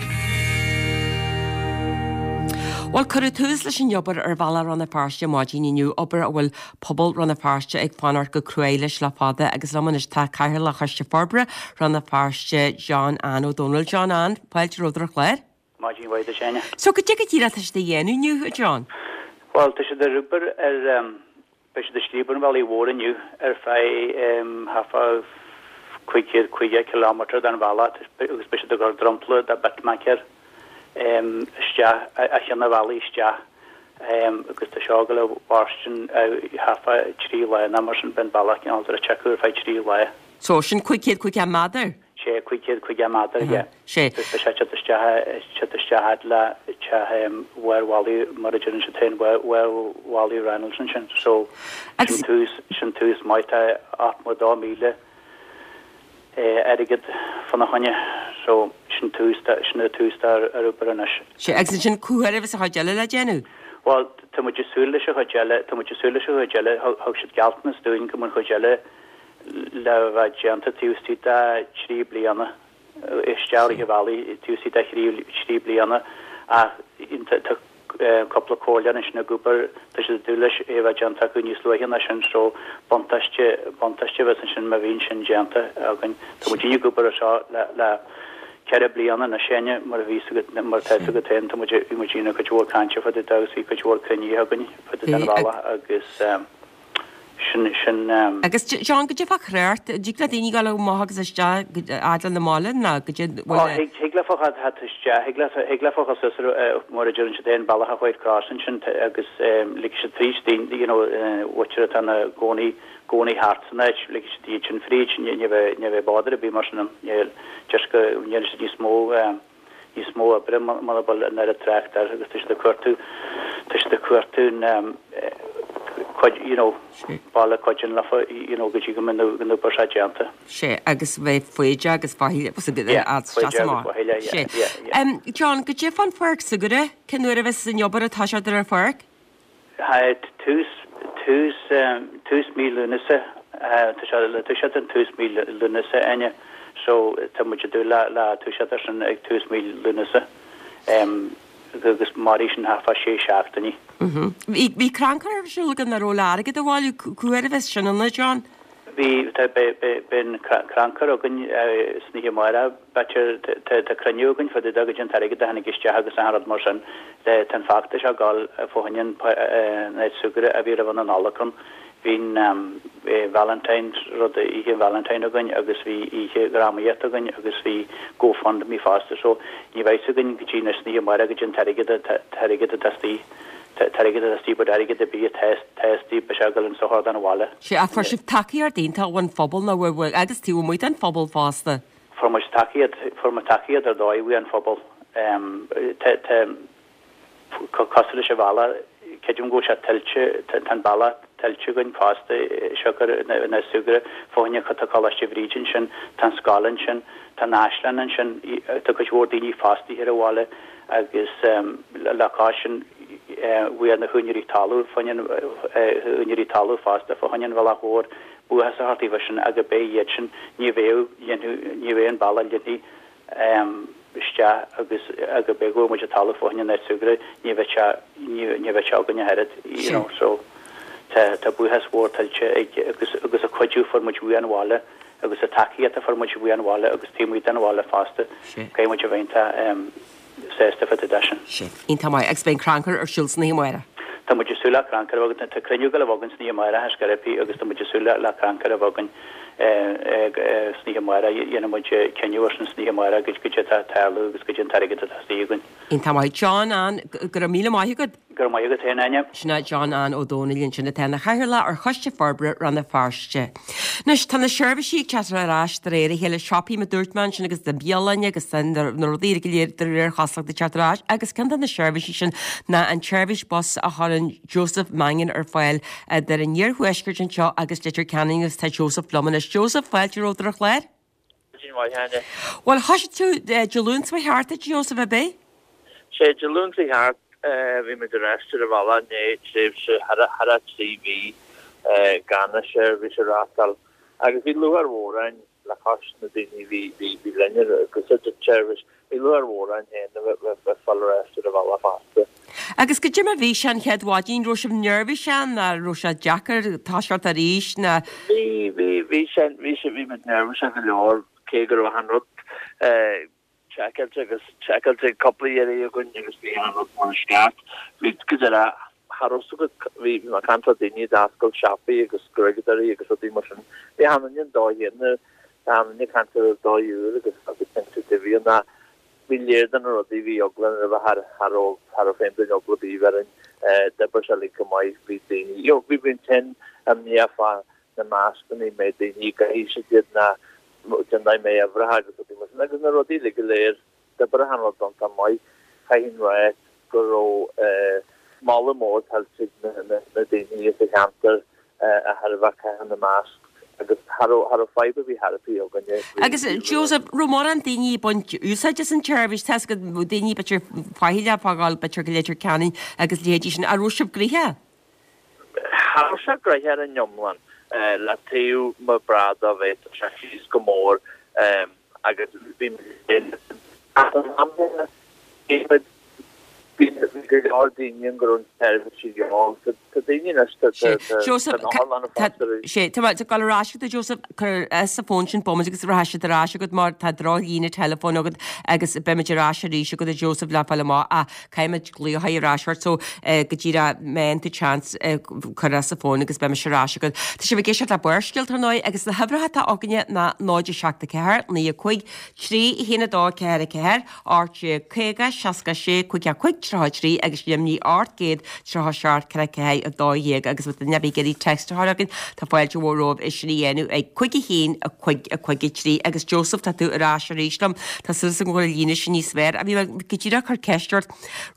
Bhuel, cuireadh tús leis an obair ar Bhealach Rann na Feirste maidin inniu, obair a bhfuil pobal Rann na Feirste ag fanacht go cruaidh leis le fada agus liom anois tá Cathaoirleach Choiste Forbartha Rann na Feirste, John Ann Ó Dónaill. John Ann, fáilte romhat ar an chlár. Maidin mhaith duit, Áine. So, goidé go díreach atá siad a dhéanamh inniu, a John? Bhuel, tá siad ar obair ar, beidh siad ag scríobadh an bhealaigh mhóir inniu ar feadh thart fá cúig chéad caoga kilometre den bhealach agus beidh siad ag cur dromchla de bitmac air isteach, a cheann an bhealaigh isteach agus tá seo ag dul a mhairstin thart fá trí lá nó mar sin, beidh an bealach cineál druidte acu ar feadh trí lá. So, sin cúig chéad caoga méadar? Sé, cúig chéad caoga méadar, yeah. Sé. Agus beidh sé ag teacht isteach, teacht isteach fhad le teach bharr mhullaigh, mar a deireann siad féin, bharr mhullaigh Reynolds ansin. So, sin tús, sin tús maith. Tá ochtó dó míle airgead fána choinne. So, sin tús, sin an tús atá ar ar obair anois. Sé, agus ansin cá huair a bheas an chuid eile le déanamh? Bhuel, tá muid ag súil leis an chuid eile, tá muid ag súil leis an chuid eile, thug siad gealltanas dúinn go mbeadh an chuid eile le bheith déanta taobh istigh de thrí bliana, isteach i rith an bhealaigh taobh istigh de thrí bliana ach tá cúpla comhairleoir ansin ag obair, tá siad ag dúil leis é a bheith déanta acu níos luaithe ná sin so buntáiste, buntáiste a bheas ansin má bhíonn sin déanta againn. Tá muid ag obair ar seo le, le ceithre bliana anois Áine, mar a bhí a fhios agat, mar atá a fhios agat féin, tá muid, bhí muid ag déanamh cuid mhór cainte fá dtaobh de agus bhí cuid mhór cruinnithe againn fá dtaobh den bhealach agus sin, sin. Agus John, goidé fá thrácht, an dtig le daoine dul amach agus isteach fhad le na mbaile nó goidé bhfuil Ó, thig, thig leofa a theacht isteach, thig le, thig leofa a dhul suas ar, mar a deireann siad féin, bealach an White Cross ansin agus ligfidh siad fríd daoine, you know, mhuintir atá ina gcónaí, gcónaí thart san áit, ligfidh siad iad sin fríd, ní, ní bheidh, ní bheidh bother ar bith mar sin ann, níl, just go ndéanfaidh siad níos mó, níos mó oibre muna bhfuil an oiread trácht air agus tá siad ag cuartú, tá siad ag cuartú cuid, you know, baile cuidíonn leofa, you know, go dtí go mbeidh an obair seo déanta. Sé, agus bheith foighdeach agus faichilleach, was a bit Yeah, ad foighdeach agus amach. faichilleach, yeah, Sé. yeah, yeah. Um, John, goidé fán pháirc súgartha, cén uair a bheas an obair ag toiseacht ar an pháirc? Tús, tús, tús mí Lúnasa, tá sé le toiseacht an tús mí Lúnasa, Áine, so tá muid ag dúil le, le toiseacht ar sin ag tús mí Lúnasa. Agus mairfidh sin thart fá sé seachtainí. Bhí, bhí crannchur ar siúl agaibh nach raibh le airgead a bhailiú, cá huair a bheas sin ann, a John? Bhí, tá, beidh, beidh, beidh an crannchur againn san oíche amárach, b'fhéidir, tá, tá cruinniú againn fá dtaobh de goidé an t-airgead a tháinig isteach agus achan rud mar sin. Le, tá an feachtas ag dul fá choinne an, an áit súgartha a bhí roimh an Nollaig ann. Bhí an Valentine's rud, oíche an Valentine againn agus bhí oíche dhrámaíochta againn agus bhí GoFundMe fosta so ní bheidh fhios againn go dtí anois san oíche amárach goidé an t-airgead, t-airgead atá istigh. T-airgead atá istigh but airgead ar bith atá atá istigh beidh sé ag dul insa chur den bhaile. Sea, ach fuair sibh tacaíocht iontach ón phobal nó bhfuil, agus taobh amuigh den phobal fosta. Fuair muid tacaíocht, fuair muid tacaíocht ar dóigh uaidh an phobal. Tá, tá, cosúil leis an bhealach, creidim go bhfuil sé tuillte, tá an bealach tuillte againn fosta, siocair na súgartha, fá choinne tá Coláiste Bhríde ansin, tá an scoil ansin, tá an Áislann ansin, tá cuid mhór daoine fostaithe ar an bhaile agus le cois sin bhí na húinéirí talún, fá choinne úinéirí talún fosta fá choinne an bhealach mhór, buíochas a thabhairt daofa sin agus b'é iad sin, ní bheadh, ní bheadh an bealach líontaí isteach agus agus b'é go bhfuair muid an talamh fá choinne an áit súgartha, ní bheadh sé, ní bheadh sé againn ach oiread, you know, so tá, tá buíochas mhór tuillte ag agus, agus an cuidiú a fuair muid uaidh an bhaile agus an tacaíocht a fuair muid uaidh an bhaile agus taobh amuigh den bhaile fosta, caithfidh muid a bheith iontach sásta fá dtaobh de sin. Sin. Iontach maith. Agus beidh an crannchur ar siúl san oíche amárach. Tá muid ag súil le crannchur a bheith againn. Tá cruinniú ag dul a bheith againn san oíche amárach ar scor ar bith agus tá muid ag súil le crannchur a bheith againn san oíche amárach. Dhéanfaidh muid cinneadh ar sin san oíche amárach goidé atá ag tarlú agus goidé an t-airgead atá istigh againn. Iontach maith. John Ann, go raibh míle maith agat. Go raibh maith agat féin, Áine. Sin é John Ann Ó Dónaill ansin atá ina chathaoirleach ar Choiste Forbartha Rann na Feirste. Anois, tá na seirbhísí ag teacht ar ais de réir a chéile, siopaí mar a dúirt mé ansin agus na bialanna agus na rudaí go léir de réir chosúlachta ag teacht ar ais agus ceann de na seirbhísí sin ná an tseirbhís bus a chuireann Joseph Mannion ar fáil idir an iarthuaisceart anseo agus Leitir Ceanainn agus tá Joseph liom anois. Joseph, fáilte romhat ar an chlár. Maidin mhaith, Áine. Bhuel, thoisigh tú Dé Luain seo thart, a Joseph, ab é? Sé Dé Luain seo thart, bhí muid ar ais ar an bhealach i ndiaidh tréimhse thar a trí mhí gan an seirbhís a reáchtáil agus bhí lúcháir mhór orainn le cois na daoine a bhí bhí linn ag úsáid an tseirbhís, bhí lúcháir mhór orainn féin a bheith ag fáil ar ais ar an bhealach fosta. Agus goidé mar a bhí sé an chéad mhaidin, raibh sibh neirbhíseach nó raibh sé deacair toiseacht arís nó? Bhí, bhí, bhí sé, bhí sé, bhí muid neirbhíseach go leor cé go raibh achan rud seiceáilte agus seiceáilte cúpla iarraidh againn agus bhí achan rud mar is ceart. Bhí go deireadh cha raibh fhios agat, bhí mé ag caint le daoine a d'oscail siopaí agus gruaigeadóirí agus rudaí mar sin. Bhí achan duine an dóigh chéanna, achan duine ag caint ar an dóigh úr agus agus cinnte de bhí an bhí léir de na rudaí bhí eagla roimhe cha cha raibh cha raibh féin duine eagla ar bith orainn d'oibrigh sé uilig go maith bhí daoine you know bhí bhí an tinn imníoch fá na mascanna mbeidh daoine ag caithfidh siad iad ná den dá mbeidh uimhreacha agus rudaí mar sin agus na rudaí uilig go léir d'oibrigh achan rud iontach maith. Chaithfinn rá go raibh moladh mór tuillte ag na daoine sa cheantar a thairbhe ag caitheamh na masc agus cha raibh cha raibh fadhb ar bith chor ar bith againne. Agus Joseph, raibh mórán daoine ag baint úsáid as an tseirbhís? Tá 'fhios agat daoine b'fhéidir faichilleach ag fágáil b'fhéidir go Leitir Ceanainn agus leithéidí sin. An raibh sibh gnoitheach? Cha raibh sé gnoitheach ar an iomlán, le taobh mo bhrád a bheith sé síos go mór agus bhí ach an am céanna bhí muid bhí Bhí go leor daoine ann go raibh an tseirbhís a dhíobháil. Tá daoine anois tá Joseph, tá an otharlann fásta arís. Sé, tá mé ag dul ar ais agat a Joseph, cuir as an fón sin bomaite agus rachaidh siad ar ais agat mar tá drochlíne teileafóin agat agus beimid ar ais arís agat a Joseph le fáil amach ach caithfimid glaoch ar ais ort so go díreach má fhaigheann tú chance cuir as an fón agus beimid ar ais agat. Tá sibh ag éisteacht le Barrscéalta ar ndóigh agus na huimhreacha atá againne ná náid a seacht a ceathair, naoi a cúig, trí a haon a dó ceathair a ceathair, ocht déag caoga, seasca a sé, cúig a cúig, tríocha a trí agus Luimnigh ocht gcéad tríocha a seacht ceithre ceathair a dó dhéag agus má tá duine ar bith ag iarraidh text a chur chugainn tá fáilte mhór romhaibh é sin a dhéanamh ag cúig a haon a cúig a cúig a trí agus Joseph tá tú ar ais arís liom tá súil agam go bhfuil an líne sin níos fearr. Bhí mé go díreach ag cur ceist ort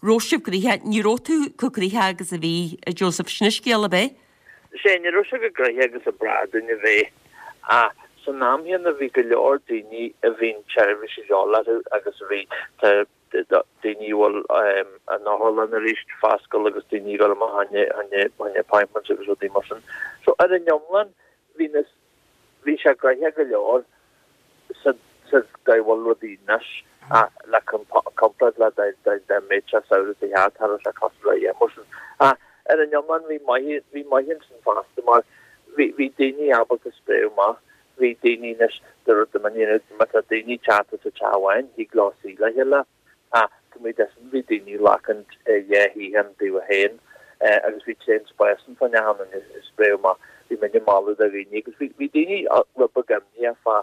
raibh sibh gnoitheach ní raibh tú chomh gnoitheach agus a bhí Joseph sin an scéal ab é? Sé ní raibh sé chomh gnoitheach agus a ba bhreá dúinn a bheith ach san am chéanna bhí go leor daoine a bhí an tseirbhís a dhíobháil orthu agus a bhí tá daoine a bhfuil an otharlann arís foscailte agus daoine ag dul amach fá choinne appointments agus rudaí mar sin. So ar an iomlán bhí na bhí sé gnoitheach go leor sa sa dóigh a bhfuil rudaí anois ach le comparáid le dá mbeadh sé samhradh sa cheart cha raibh sé cosúil le mar sin. Ach ar an iomlán bhí maith bhí maith ansin fosta mar bhí bhí daoine ábalta spréadh amach bhí daoine anois de rud a you má tá daoine teacht sa teach amháin thig leo suí le chéile ach tá muid sin bhí daoine glacaint dhá shuíochán dóibh féin agus bhí tréan spáis ann fá choinne an spréadh amach bhí muid ag moladh do dhaoine agus bhí bhí daoine rud beag imníoch fá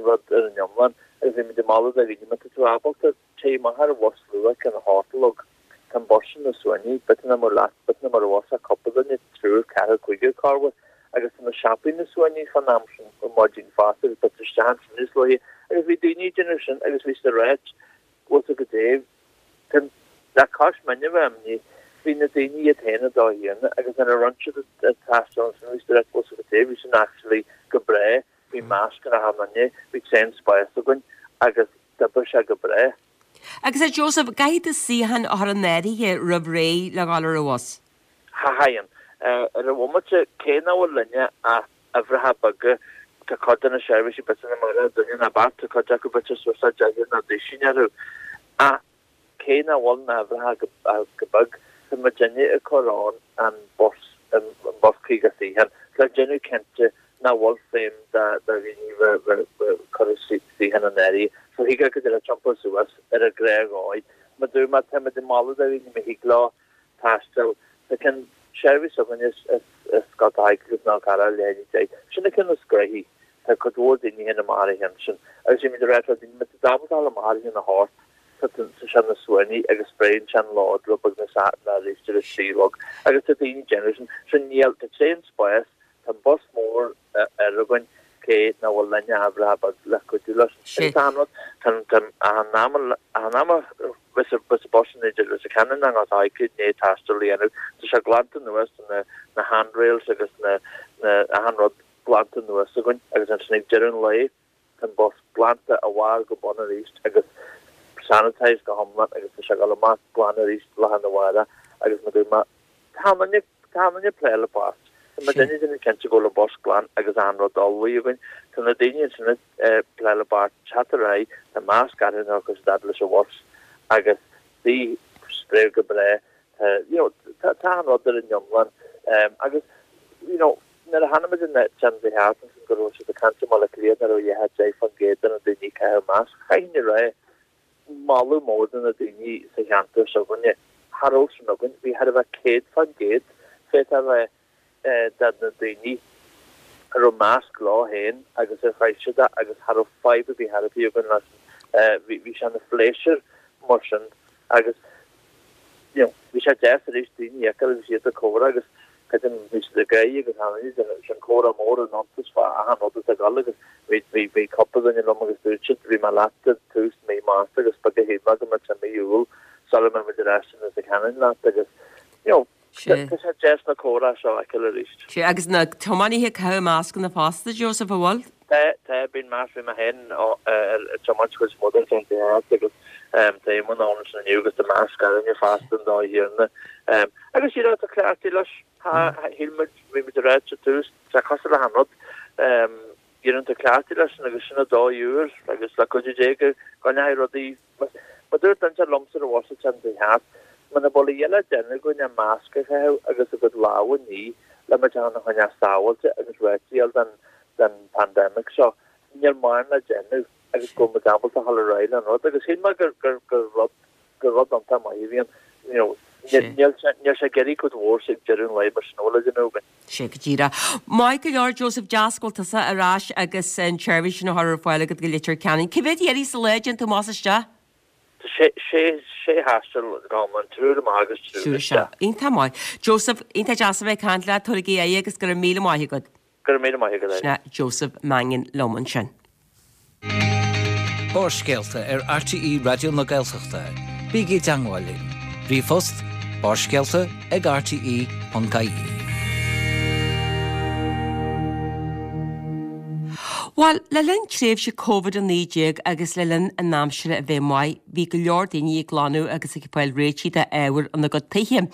rud ar an iomlán agus bhí muid ag moladh do dhaoine má tá tú ábalta téigh amach ar an bhus luath cionn a hocht a chlog tá an bus sin na suaimhní b'fhéidir nach mbeadh leat b'fhéidir nach mbeadh ar bhus ach cúpla duine triúr ceathrar cúigear corruair agus tá na siopaí na suaimhní fán am sin ar maidin fosta agus b'fhéidir isteach ansin níos luaithe agus bhí daoine ag déanamh sin agus bhí siad ag ráit bhfuil tú go dté le cois muidne a bheith imní bhí na daoine iad féin ag dul chéanna agus nuair a rinne siad an taisteal ansin bhí siad ag ráit bhfuil tú go dté bhí sin actually go breá bhí masc ar achan duine bhí tréan spáis againn agus d'oibrigh sé go breá. Agus a Joseph, caithfidh tú suíochán a chur in áirithe roimh ré le dhul ar an bhus? Caitheann. Ar an bhomaite, cé nach bhfuil linne ach uimhreacha beaga, tá cuid de na seirbhísí b'fhéidir nach mbeadh duine ná beirt, tá cuid acu b'fhéidir suas le deichniúr nó duisín orthu. Ach cé nach bhfuil na huimhreacha go beag, tá muidinne ag cur ann an bus, an bus caoga suíochán, le déanamh cinnte nach bhfuil feidhm do dhaoine bheith cur suíochán in áirithe. So thig go dtí iompar suas ar an ghnáthdhóigh. Mar dúirt mé, táimid ag moladh do dhaoine má thig leo taisteal. Tá ceann seirbhís againn is is Scoil Thaidhg agus ná cara le deich. Sin na cinn is gnoithí. Tá cuid mhór daoine féin amach ar a cheann sin. Agus bhí muid ag rá le daoine, má tá tú ábalta dul amach ar a cheann a hocht, tá sé na suaimhní agus spréann sé an lód rud beag na sa na arís ar a trí a chlog. Agus tá daoine ag déanamh sin. So níl, tá tréan spáis Tá an bus mór ar againn cé nach bhfuil linne ach uimhreacha beaga le cuidiú leis. Agus tá an rud, tá an, an am, an am a bheas an bus in idir Leitir Ceanainn agus Gort an Choirce i ndiaidh taisteal a dhéanamh, tá sé glanta anuas, tá na, na handrails agus na, na, achan rud glanta anuas againn agus ansin ag deireadh an lae, tá an bus glanta ó bharr go bun arís agus sanitised go hiomlán agus tá sé ag dul amach glan arís lá arna mhárach agus mar a dúirt mé, tá muidne, tá muidne ag plé le poist. Tá muidinne ag déanamh cinnte go bhfuil an bus glan agus achan rud ullmhaithe againn. Tá na daoine ansin ag plé le páirt teacht ar aghaidh, tá masc orthu nuair a chuaigh siad fhad leis an bhus agus bhí spréadh go breá. Tá, you know, tá, tá achan rud ar an iomlán agus, you know, nuair a chonaic muid an T V thart ansin go raibh siad ag caint i mBaile Átha Cliath nach raibh ach deich faoin gcéad de na daoine ag caitheamh masc, chaithfinn a rá, moladh mór do na daoine sa cheantar s'againne. Cha raibh sin againn, bhí thar a bheith céad faoin gcéad, féadfá a rá, de na daoine a raibh masc leo féin agus ar chaith siad é agus cha raibh fadhb ar bith ar bith againn leis. Bhí sé ina phléisiúr mar sin agus you know bhí sé deas arís daoine a fheiceáil agus iad ag comhrá agus creidim bhí siad ag gáire agus tháinig sin comhrá mór in iontas fá achan rud atá ag dul agus bhí bhí bhí cúpla duine liom agus dúirt siad bhí mé leat i tús mí Márta agus beag a shíl mé go mbeadh sé mí Iúil sula mbeidh muid ar ais in Leitir Ceanainn leat agus you know Tá sé deas na comhrá seo a fheiceáil arís. Sea, agus na tiománaithe ag caitheamh mascanna fosta, Joseph, an bhfuil? Tá, tá, bíonn masc, bhí mé féin ag tiomáint cuid mhór den T thart agus tá Éamonn ann ansin inniu agus tá masc orainne fosta an dá thiarna. Agus you know, tá cleachtaithe leis, shíl muid, bhí muid ag ráit sa tús, tá cosúil le achan rud, éiríonn tú cleachtaithe leis sin agus sin an dóigh úr agus le cuidiú Dé go gcoinneoidh rudaí, mar dúirt duine liomsa ar an bhus an T thart, Muna bhfuil a dhath le déanamh againn ach masc a chaitheamh agus ár gcuid lámha a ní le muid féin a choinneáil sábháilte agus réitithe den den pandemic seo, níl mórán le déanamh agus go bhfuil muid ábalta dhul ar aghaidh le an rud agus shíl mé gur gur gur rud gur rud iontach maith a bhí ann. You know, níl sé níl sé ag iarraidh cuid mhór ag deireadh an lae mar sin le déanamh againn. Sé go díreach. Maith go leor Joseph deas go bhfuil tusa ar ais agus an tseirbhís sin á chur ar fáil agat go Leitir Ceanainn. Cé mhéad iarraidh sa lá a dtéann tú amach is isteach? Sé sé sé thaisteal go hiomlán, triúr amach agus triúr isteach. Iontach maith. Joseph, iontach deas a bheith ag caint leat, tabhair aghaidh agus go raibh míle maith agat. Go raibh míle maith agat. Sin é Joseph Mannion liom ansin. Barrscéalta ar RTÉ Raidió na Gaeltachta. Bígí i dteangmháil linn. Ríomhphost, barrscéalta ag rte ponc ie. Bhuel, le linn tréimhse Covid a naoi déag agus le linn an aimsire a bheith maith, bhí go leor daoine ag glanadh agus ag fáil réitithe d'ábhair ina gcuid tithe.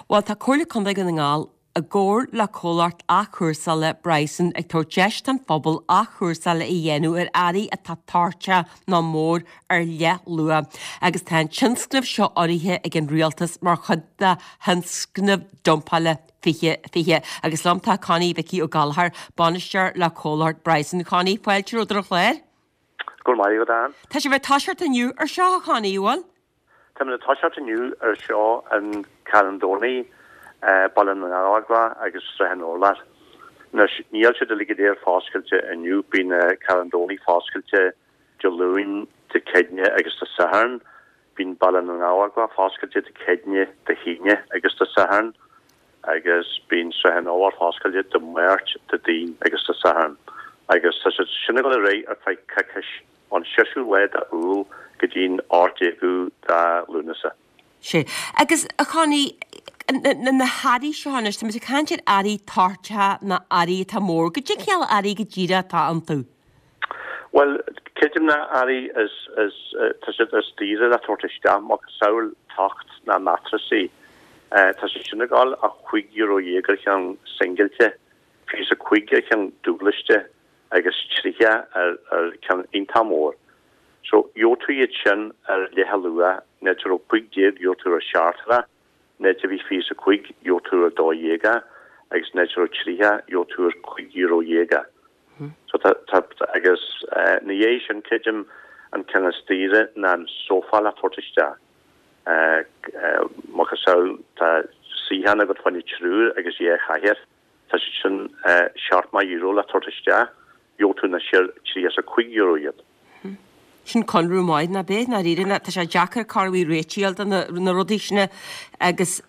Bhuel, tá Comhairle Contae Dhún na nGall i gcomhar le comhlacht athchúrsála Bryson ag tabhairt deis don phobal athchúrsáil a dhéanamh ar earraí atá toirteach nó mór ar leathluach agus tá an tionscnamh seo urraithe ag an Rialtas mar chuid de thionscnamh dumpála fiche fiche. Agus liom tá Connie Mhicí Ó Gallchóir, bainisteoir le comhlacht Bryson. Connie, fáilte romhat ar an chlár. Go raibh maith agat, Ann. Tá sibh ag toiseacht inniu ar seo, a Chonnie, an bhfuil? Táimid ag toiseacht inniu ar seo in Carn Domhnaigh, Baile na nGallóglach agus Srath an Urláir. Anois, níl siad uilig go léir foscailte inniu, bíonn Carn Domhnaigh foscailte Dé Luain, Dé Céadaoine agus Dé Sathairn. Bíonn Baile na nGallóglach foscailte Dé Céadaoine, Dé hAoine agus Dé Sathairn agus bíonn Srath an Urláir foscailte Dé Máirt, Dé Daoin agus Dé Sathairn agus tá siad sin ag dul ar aghaidh ar feadh coicís, ón seisiú lá de Iúil go dtí'n ocht déagú de Lúnasa. Sea. Agus, a Chonnie, na hearraí seo anois, tá muid ag caint ar earraí toirteacha nó earraí atá mór. Goidé cineál earraí go díreach atá iontu? Bhuel, creidim na earraí is, is, tá siad is daoire le tabhairt isteach, macasamhail tocht ná matrasaí. Tá siad sin ag dul ach cúig euro dhéag ar cheann singilte, fiche is a cúig ar cheann dúbláiste agus tríocha ar, ar ceann iontach mór. So, gheobhaidh tú iad sin ar leath a luach, an áit a raibh cúig déag gheobhaidh tú ar seacht é, an áit a bhí fiche is a cúig gheobhaidh tú ar dó dhéag é agus an áit a raibh tríocha gheobhaidh tú ar cúig euro dhéag é. So tá, tá, agus ina dhiaidh sin, creidim, an ceann is daoire ná an sófá le tabhairt isteach. Macasamhail, tá suíochán agat fá choinne triúr agus dhá chathaoir, tá siad sin seacht euro le tabhairt isteach, gheobhaidh tú anois ar tríocha is a cúig euro iad. Sin conradh maith, ná b'é, ndáiríre, ná tá sé deacair corruair réiteach a fháil do na, na rudaí sin agus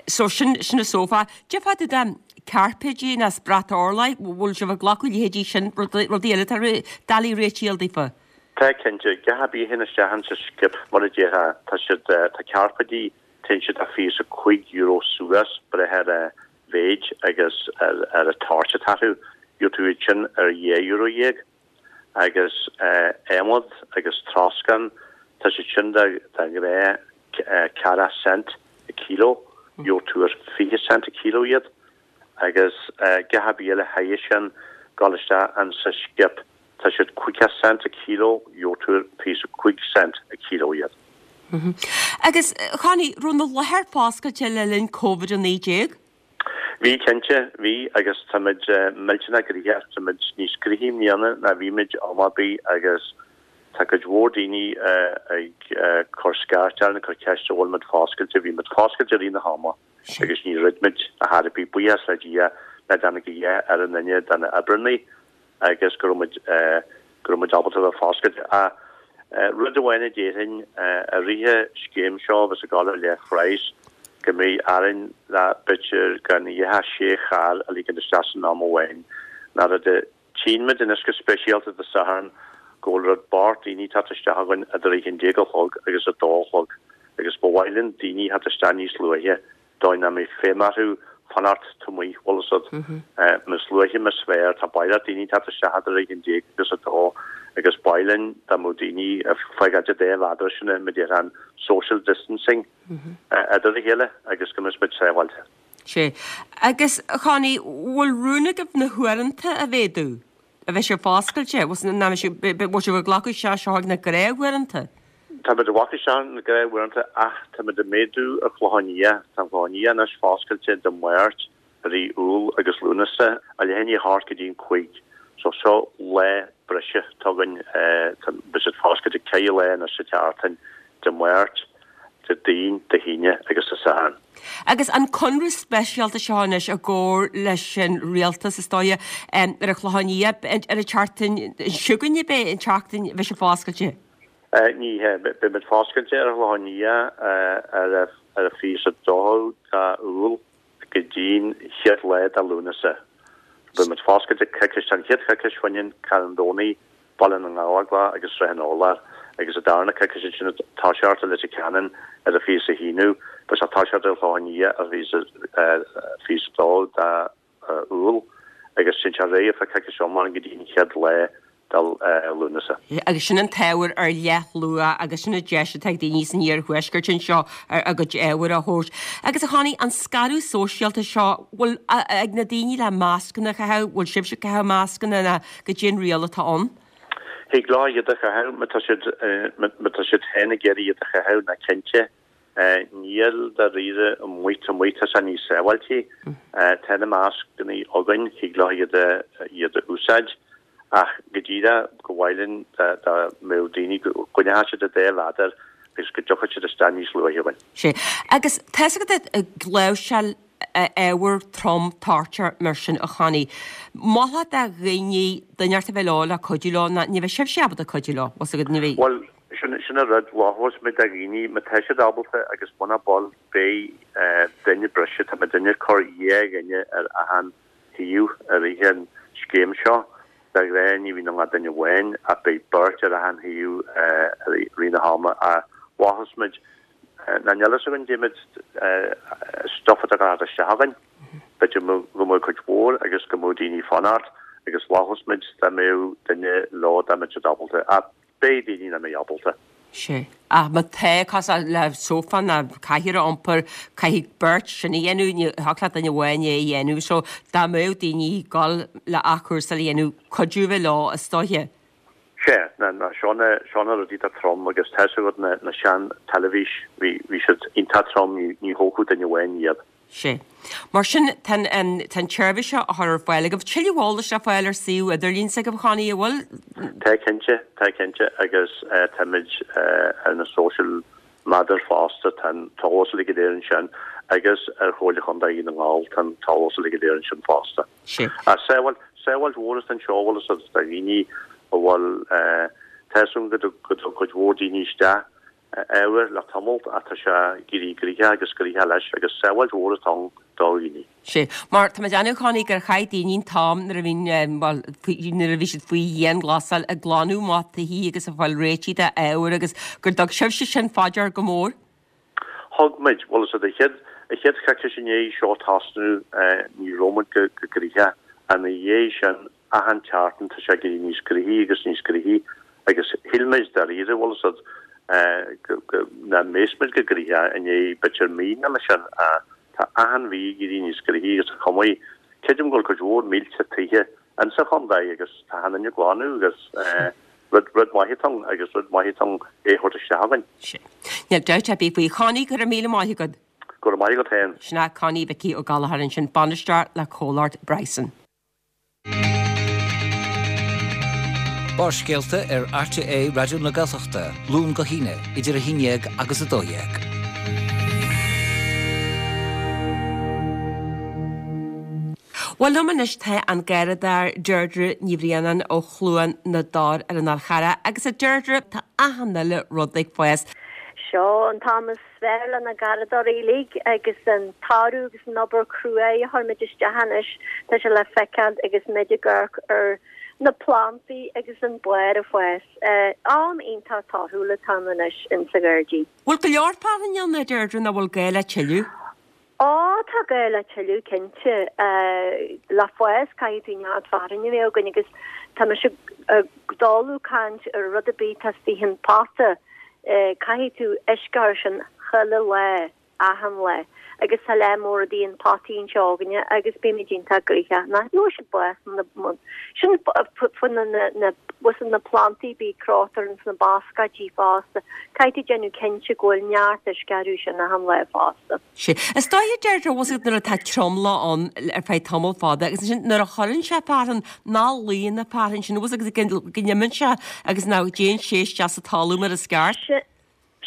so sin, sin an sófá. Cad é fá dtaobh de cairpéidí ná brat orlaigh, bhfuil sibh ag glacadh leithéidí sin, rudaí, rudaí eile atá doiligh réiteach a fháil daofa? Tá, cinnte. Gach ar bith a théann isteach insa skip, mar a déarfá, tá siad, tá cairpéidí, téann siad ó fiche is a cúig euro suas, breith ar a mhéid agus ar, ar an toirt atá orthu. Gheobhaidh tú iad sin ar dhá euro dhéag. Agus adhmad agus troscán, tá siad sin de ghnáth ceathracha cent a kilo, gheobhaidh tú ar fiche cent a kilo iad. Agus gach ar bith eile thairis sin, gabháil isteach insa skip, tá siad caoga cent a kilo, gheobhaidh tú ar fiche is a cúig cent a kilo iad. Agus, a Chonnie, raibh na láthair foscailte le linn Covid a naoi déag? Bhí, cinnte, bhí agus táimid millteanach gnoitheach, táimid níos gnoithí i mbliana ná bhí muid am ar bith agus tá cuid mhór daoine ag cur scairt orainn, ag cur ceiste an bhfuil muid foscailte, bhí muid foscailte i rith na hama agus ní dhruid muid ar chor ar bith, buíochas le Dia nár tháinig a dhath ar aon duine de na oibreannaí. agus go raibh muid, go raibh muid ábalta a bheith foscailte. Ach rud amháin a déarfainn, i rith an scéim seo a bheas ag dul ar leathphraghas, go mbeidh orainn le b'fhéidir gan a dhath ach sé charr a ligean isteach san am amháin. Ná rud a tchíonn muid anois go speisialta Dé Sathairn go bhfuil rud bocht daoine ag teacht isteach againn idir a haon déag a chlog agus a dó a chlog agus ba mhaith linn daoine a theacht isteach níos luaithe dóigh nach mbeidh feidhm orthu fanacht taobh amuigh, bhfuil fhios a'd. Níos luaithe más féidir, tá baileach daoine ag teacht isteach idir a haon déag agus a dó agus ba mhaith linn dá mbeadh daoine ag fágáilt an dá mhéadar sin, mar a déarfá, an social distancing idir a chéile agus go mbeadh muid sábháilte. Sea. Agus, a Chonnie, bhfuil rún agaibh na huaireanta a mhéadú? A bheidh sibh foscailte? Bhfuil sibh ag glacadh isteach seo ag na gnáthuaireanta? Táimid ag bacadh isteach na gnáthuaireanta ach táimid ag méadú ar Chlochán Liath. Tá an Clochán Liath anois foscailte Dé Máirt i rith Iúil agus Lúnasa, ó leath i ndiaidh a hocht go dtí an cúig. So seo lá breise atá againn. Beidh siad foscailte ceithre lá anois sa tseachtain, Dé Máirt, Déardaoin, Dé hAoine agus Dé Sathairn. Agus an conradh speisialta seo anois i gcomhar leis an rialtas is dóigh ar an Chlochán Liath ar an tseachtain seo chugainn ab é an tseachtain a bheidh sé foscailte? Ní hea, beimid foscailte ar an Chlochán Liath ar an fiche is a dó de Iúil go dtí'n chéad lá de Lúnasa. Beimid foscailte coicís, an chéad choicís fá choinne Carn Domhnaigh, Baile na nGallóglach agus Srath an Urláir, agus an darna coicís ansin ag toiseacht i Leitir Ceanainn ar an fiche is a haonú, beidh sé ag toiseacht ar an Chlochán Liath ar fiche is a dó de Iúil agus téann sé ar aghaidh ar feadh coicís iomlán go dtí an chéad lá de Lúnasa. Agus sin an t-ábhar ar leathluach agus sin an deis atá ag daoine san iarthuaisceart anseo a gcuid ábhair a thabhairt. Agus a Chonnie, an scaradh sóisialta seo, bhfuil ag na daoine le mascanna a chaitheamh, bhfuil sibhse ag caitheamh mascanna ná goidé an riail atá ann? Thig leo iad a chaitheamh má tá siad má tá siad féin ag iarraidh iad a chaitheamh ná cinnte níl dáiríre amuigh tá amuigh tá sé níos sábháiltí. Tá na mascanna againn thig leo iad a iad a úsáid ach go díreach go mhaith linn dá dá mbeadh daoine go gcoinneodh siad a dá mhéadar agus go dtiocfadh siad isteach níos luaithe againn. Sea. Agus tá's agat ag láimhseáil ábhar trom toirteach mar sin a Chonnie. Mholfá do dhaoine duine inteacht a bheith leo le cuidiú leo ná ní bheidh sibhse ábalta cuidiú leo, bhfuil 's agat, ní bheidh. Bhuel, sin sin an rud, mholfas muid do dhaoine má tá siad ábalta agus muna bhfuil beidh duine breise, tá muidinne ag cur dhá dhuine ar achan thaobh i rith an scéim seo. De ghnáth ní bhíonn ann ach duine amháin ach beidh beirt ar achan thaobh i rith na hama. Ach mholfas muid Ná níl fhios againn goidé stuif atá ag teacht isteach againn. B'fhéidir go mbeadh cuid mhór agus go mbeadh daoine ag fanacht agus mholfas muid dá mbeadh duine leo dá mbeadh siad ábalta. Ach beidh daoine nach mbeidh ábalta. Sea. Ach má tá, cosúil le sófá ná cathaoir a iompar, caithfidh beirt sin a dhéanamh, ní thiocfadh le duine amháin é a dhéanamh. So dá mbeadh daoine ag dul le athchúrsáil a dhéanamh, cuidiú a bheith leo is dóiche. Sea, na, na, seo na, seo na rudaí atá trom agus tá 'fhios agat na, na sean teilifís, bhí, bhí siad iontach trom, ní, ní thógfadh duine amháin iad. Sea. Mar sin, tá an, tá an tseirbhís seo á chur ar fáil agaibh. Tuilleadh eolais le fáil ar suíomh idirlín s'agaibh, a Chonnie, an bhfuil? Tá cinnte, tá cinnte agus eh, táimid eh, ar na social media fosta, tá an t-eolas uilig go léir ansin agus ar Chomhairle Chontae Dhún na nGall, tá an t-eolas uilig go léir ansin fosta. Sea. Ach sábháil, sábháilt mhór atá anseo, bhfuil 'fhios agat, do dhaoine a bhfuil, tá 'fhios agam go dtug cuid mhór daoine isteach ábhar le tamall ach tá sé ag éirí gnoitheach agus gnoitheach leis agus sábháilt mhór atá ann do dhaoine. Sea, mar tá mé ag déanamh a Chonnie gur chaith daoine an t-am nuair a bhí, bhuel, nuair a bhí siad faoi dhianghlasáil ag glanadh amach tithe agus ag fáil réitithe d'ábhar agus gur dtug sibhse sin fá dear go mór. Thug muid, bhfuil 'fhios agat, an chéad, an chéad choicís i ndiaidh seo tosnú ní raibh muid go gnoitheach ach ina dhiaidh sin achan tseachtain tá sé ag éirí níos gnoithí agus níos gnoithí agus shíl muid dáiríre, bhfuil 'fhios agat, go, go, nach mbeas muid go gnoitheach i ndiaidh b'fhéidir mí nó mar sin ach tá achan mhí ag éirí níos gnoithí agus chomh maith, creidim go bhfuil cuid mhór mílte tithe insa chontae agus tá achan duine ag glanadh agus rud, rud maith atá ann agus rud maith atá ann é a thabhairt isteach againn. Sea. Níl dabht ar bith faoi. Connie, go raibh míle maith agat. Go raibh maith agat féin. Sin é Connie Mhicí Ó Gallchóir ansin, bainisteoir le comhlacht Bryson. Barrscéalta ar RTÉ Raidió na Gaeltachta, Luan go hAoine, idir a haon déag agus a dó dhéag. Bhuel liom anois tá an garradóir Deirdre Ní Bhraonáin ó Chluain na dTor ar an Fhál Charrach agus a Deirdre tá achan uile rud ag fás. Seo an t-am is fearr le na garradóirí uilig agus an toradh agus an obair cruaidh a chuir muid isteach anois, tá sé le feiceáil agus muid ag amharc ar na plantaí agus an barr ag fás. Am iontach torthúil atá ann anois in sa ghairdín. Bhfuil go leor fearthainne ann, a Deirdre, nó bhfuil gá le tuilleadh? Ó, tá gá le tuilleadh, cinnte. Le fás, caithfidh tú neart fearthainne a bheith againn agus tá mise ag dul ag caint ar rud ar bith atá istigh in pota. Caithfidh tú uisce a chur sin chuile lá. achan lá agus tá lear mór rudaí in potaí anseo againne agus bímid iontach gnoitheach ná gheobhaidh siad bás na sin faoi na na na na plantaí bí crochta ins na bascaidí fosta caithfidh tú déanamh cinnte go bhfuil neart uisce orthu sin achan lá fosta. Sé. Is dóigh a Deirdre bhfuil a fhios agat nuair atá tromluí ann ar feadh tamall fada agus ansin nuair a chuireann sé fearthainn ná luíonn an fearthainn sin bhfuil a fhios agat go n-imíonn sé agus ná dtéann sé isteach sa talamh mar is ceart. Sé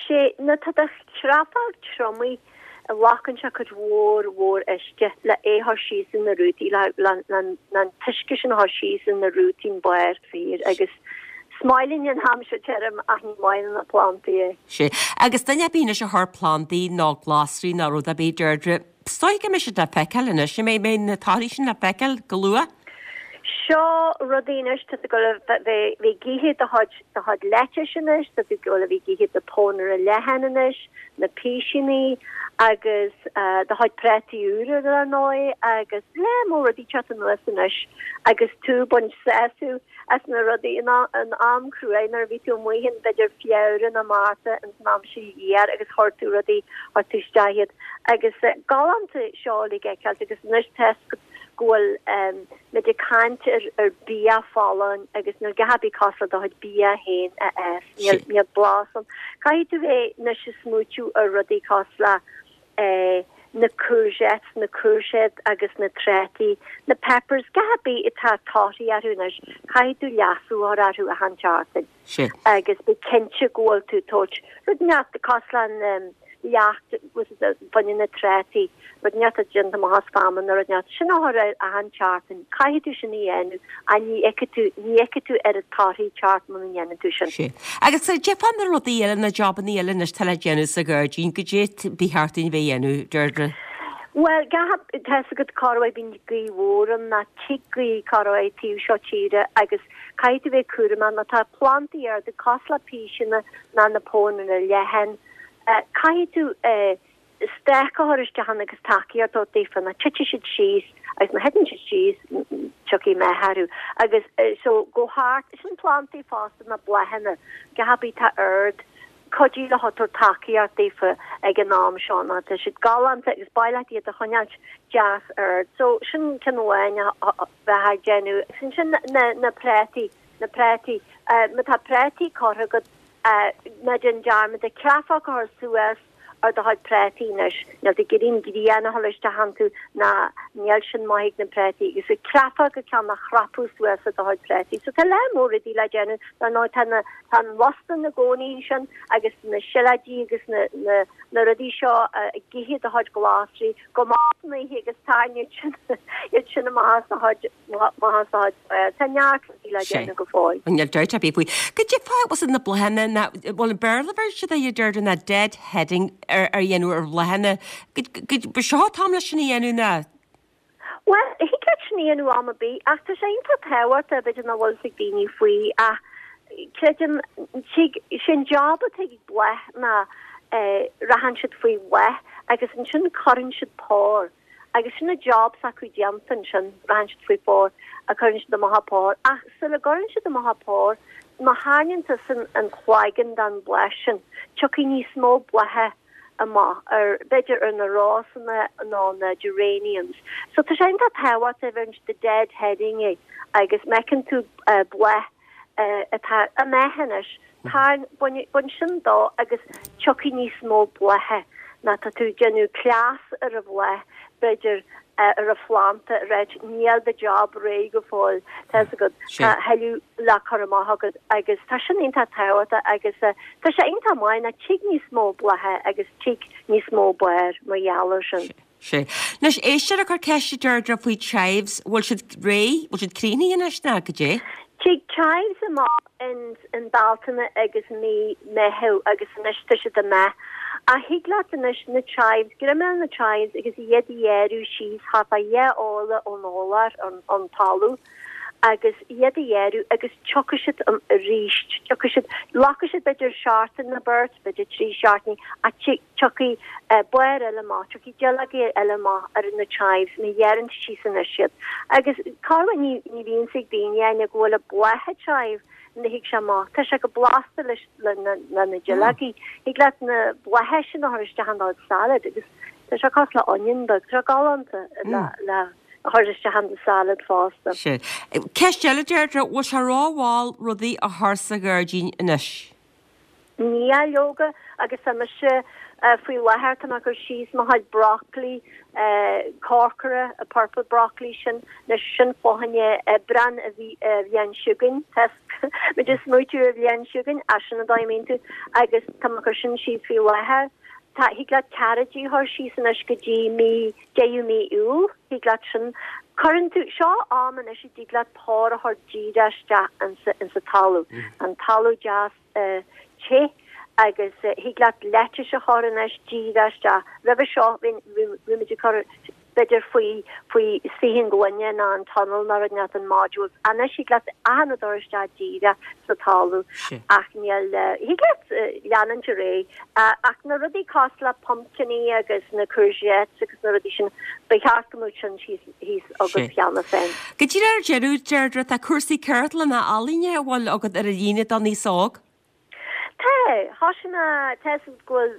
sé nuair atá do chreafóg triomaithe glacann sé cuid mhór mhór uisce le é a chur síos in na rútaí le le le an t-uisce sin a chur síos in na rútaí an barr fíor agus is maith linn an t-am seo tirim ach ní maith le na plantaí é. Sé. Agus duine ar bith anois a chuir plandaí nó glasraí nó rud ar bith Deirdre, is dóigh go mbeidh siad le feiceáil anois, an mbeidh mbeidh na torthaí sin le feiceáil go luath? Seo rudaí anois, tá tú ag dul a bheith ag ithe do chuid do chuid lettuce anois, tá tú ag dul a bheith ag ithe do pónaire leathan anois, na písíní agus do chuid prátaí úra dar ndóigh agus lear mór rudaí teacht anuas anois agus tú ag baint sásamh as na rudaí in am cruaidh nuair a bhí tú amuigh in b'fhéidir Feabhra nó Márta ins an am seo thiar agus chuir tú rudaí chuir tú isteach iad agus galánta seo le feiceáilt agus anois tá go bhfuil muid ag caint ar ar bia folláin agus níl a dhath ar bith cosúil le do chuid bia féin a fhás. Níl níl blas ann. Caithfidh tú bheith anois ag smaoitiú ar rudaí cosúil le eh na courgettes, na cúirséid agus na trátaí, na peppers, a dhath ar bith atá torthaí orthu anois, caithfidh tú leasú a chur orthu achan tseachtain. Agus bí cinnte go bhfuil tú ag tabhairt rud inteacht cosúil le an leacht fá choinne na trátaí, rud inteacht atá déanta amach as feamainn nó rud inteacht, sin a chur air achan tseachtain, caithfidh tú sin a dhéanamh ach ní fheicfidh tú, ní fheicfidh tú oiread torthaí teacht muna ndéanann tú sin. Sea. Agus cad é fá na rudaí eile, na jabannaí eile anois atá le déanamh sa ghairdín, goidé ba cheart dúinn a bheith a dhéanamh, Deirdre? Bhuel, tá a fhios agat corruair bíonn gaoth mhór ann ná tig gaoth corruair taobh seo tíre agus caithfidh tú bheith cúramach má tá plandaí arda cosúil le píseanna ná na pónaire leathan, Caithfidh tú stoc a chur isteach ann agus tacaíocht a thabhairt daofa nó titfidh siad síos agus má thiteann siad síos tiocfaidh meath orthu agus so go thart sin plandaí fosta na bláthanna a dhath ar bith atá ard cuidigh leo tabhair tacaíocht daofa ag an am seo nó tá siad galánta agus ba mhaith leat iad a choinneáilt deas ard so sin ceann amháin a bheith ag déanamh agus ansin na na prátaí na prátaí má tá prátaí curtha agat Ná déan dearmad an chreafóg a chur suas ar do chuid prátaí anois. Níl tú ag iarraidh an ghrian a dhul isteach iontu ná níl sin maith ag na prátaí agus an chreafóg an ceann a chrapadh suas ar do chuid prátaí. So tá lear mór rudaí le déanamh. Dar ndóigh tá na tá an lus ina gcónaí ansin agus na sileoidí agus na na na rudaí seo ag ithe do chuid glasraí go maith san oíche agus tarraing iad sin iad sin amach as do chuid amach as do chuid tá neart rudaí le déanamh go fóill. Níl dabht ar bith faoi. Goidé fá bhfuil na bláthanna ná bhfuil an Béarla bheir siad a deir ná dead heading ar ar dhéanamh ar bhláthanna. Ba seo an t-am leis sin a dhéanamh ná? Bhuel, thig leat sin a dhéanamh am ar bith ach tá sé iontach tábhachtach b'fhéidir nach bhfuil fhios ag daoine faoi ach creidim tig sin job atá ag bláth ná eh rachann siad faoi bhláth agus ansin cuireann siad pár agus sin an job s'acu déanta ansin rachann siad faoi phár a cuireann siad amach a pár ach sula gcuireann siad amach a pár má tharraingíonn tusa an cloigeann den bhláth sin tiocfaidh níos mó blátha amach ar b'fhéidir ar na rósanna nó na geraniums. So tá sé iontach tábhachtach bheireann siad dead heading é agus má fheiceann tú bláth atá imithe anois tarraing bain bain sin dó agus tiocfaidh níos mó blátha ná tá tú ag déanamh cleas ar an bhláth b'fhéidir ar an phlanda right níl do job réidh go fóill tá fhios agat tá tuilleadh le cur amach agat agus tá sin iontach tábhachtach agus tá sé iontach maith ná tig níos mó blátha agus tig níos mó barr mar gheall ar sin. Sea. Anois éisteoir ag cur ceiste Deirdre faoi chives, bhfuil siad réidh, bhfuil siad críochnaithe anois ná goidé? Tig chives amach in in Bealtaine agus mí Meitheamh agus anois tá siad amach. Ach thig leat anois na chives, greim ar na chives agus iad a ghearradh síos thart fá dhá orlach ón urlár, ón talamh agus iad a ghearradh agus tiocfaidh siad arís, tiocfaidh siad, glacfaidh siad b'fhéidir seachtain nó beirt, b'fhéidir trí seachtainí ach tiocfaidh barr eile amach, tiocfaidh duilleogaí eile amach ar na chives má ghearrann tú síos anois iad. Agus corruair ní ní bhíonn fhios ag daoine go bhfuil an bláth chive ní thig sé amach. Tá sé go blasta leis le na le na duilleogaí. Thig leat na blátha sin a chur isteach in do salad agus tá sé cosúil le onion beag. Tá sé galánta le le a chur isteach in do salad fosta. Sea. Ceist eile, Deirdre, bhfuil sé rómhall rudaí a chur sa ghairdín anois? Níl, leoga, agus tá mise faoi láthair, tá mé ag cur síos mo chuid broccoli, corcra, an purple broccoli sin, anois sin fá choinne Aibreán an bhliain seo chugainn, tá muid ag smaoitiú ar an bhliain seo chugainn, as sin an dóigh a mbíonn tú, agus tá mé ag cur sin síos faoi láthair. Tá, thig leat carrotaí a chur síos anois go dtí mí, deireadh mí Iúil, thig leat sin, cuireann tú, seo am anois a dtig leat pár a chur díreach isteach insa, insa talamh, an talamh deas, te agus thig leat lettuce a chur anois díreach isteach. Roimhe seo bhí bhí muid ag cur b'fhéidir faoi faoi saothan gloine nó an tunnel nó rud inteacht an modules. Anois thig leat achan rud a chur isteach díreach sa talamh ach níl thig leat leanúint ar aghaidh ach na rudaí cosúil le pumpkiní agus na courgettes agus na rudaí sin ba cheart go mbeadh sin síos thíos agat cheana féin. Go díreach ar deireadh, Deirdre, tá cúrsaí ceardlanna ealaíne a bhfuil agat ar an líne don aos óg. Tá, thoisigh mé, tá 'fhios agat go bhfuil,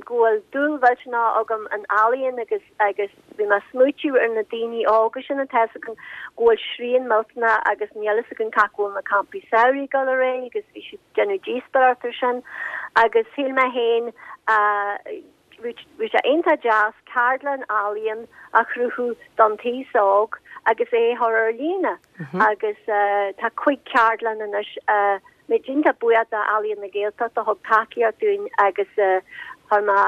go bhfuil dúil mhillteanach agam in ealaíon agus, agus bhí mé ag smaoitiú ar na daoine óga sin atá 'fhios againn go bhfuil srian millteanach agus níl 'fhios againn cá bhfuil na campaí samhraidh ag dul ar aghaidh agus bhí siad ag déanamh díospóireacht ar sin agus shíl mé féin, bhí sé iontach deas ceardlann ealaíon a chruthú don taos óg agus é a chur ar líne agus tá cúig ceardlann anois muid iontach buíoch d'Ealaíon na Gaeltachta a thug tacaíocht dúinn agus chuir mé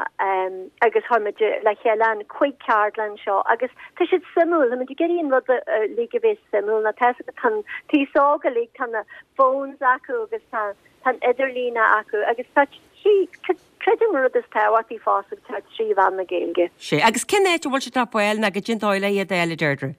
agus chuir muid le chéile an cúig ceardlann seo agus tá siad suimiúil, tá muid ag iarraidh an rud uilig a bheith suimiúil nó tá tá an taos óg uilig tá na phones acu agus tá tá an idirlíne acu agus tá trí creidim an rud is tábhachtaí fosta tá trí mheán na Gaeilge. Sea, agus cén áit a bhfuil siad ar fáil nó goidé an dóigh le iad a fháil a Deirdre?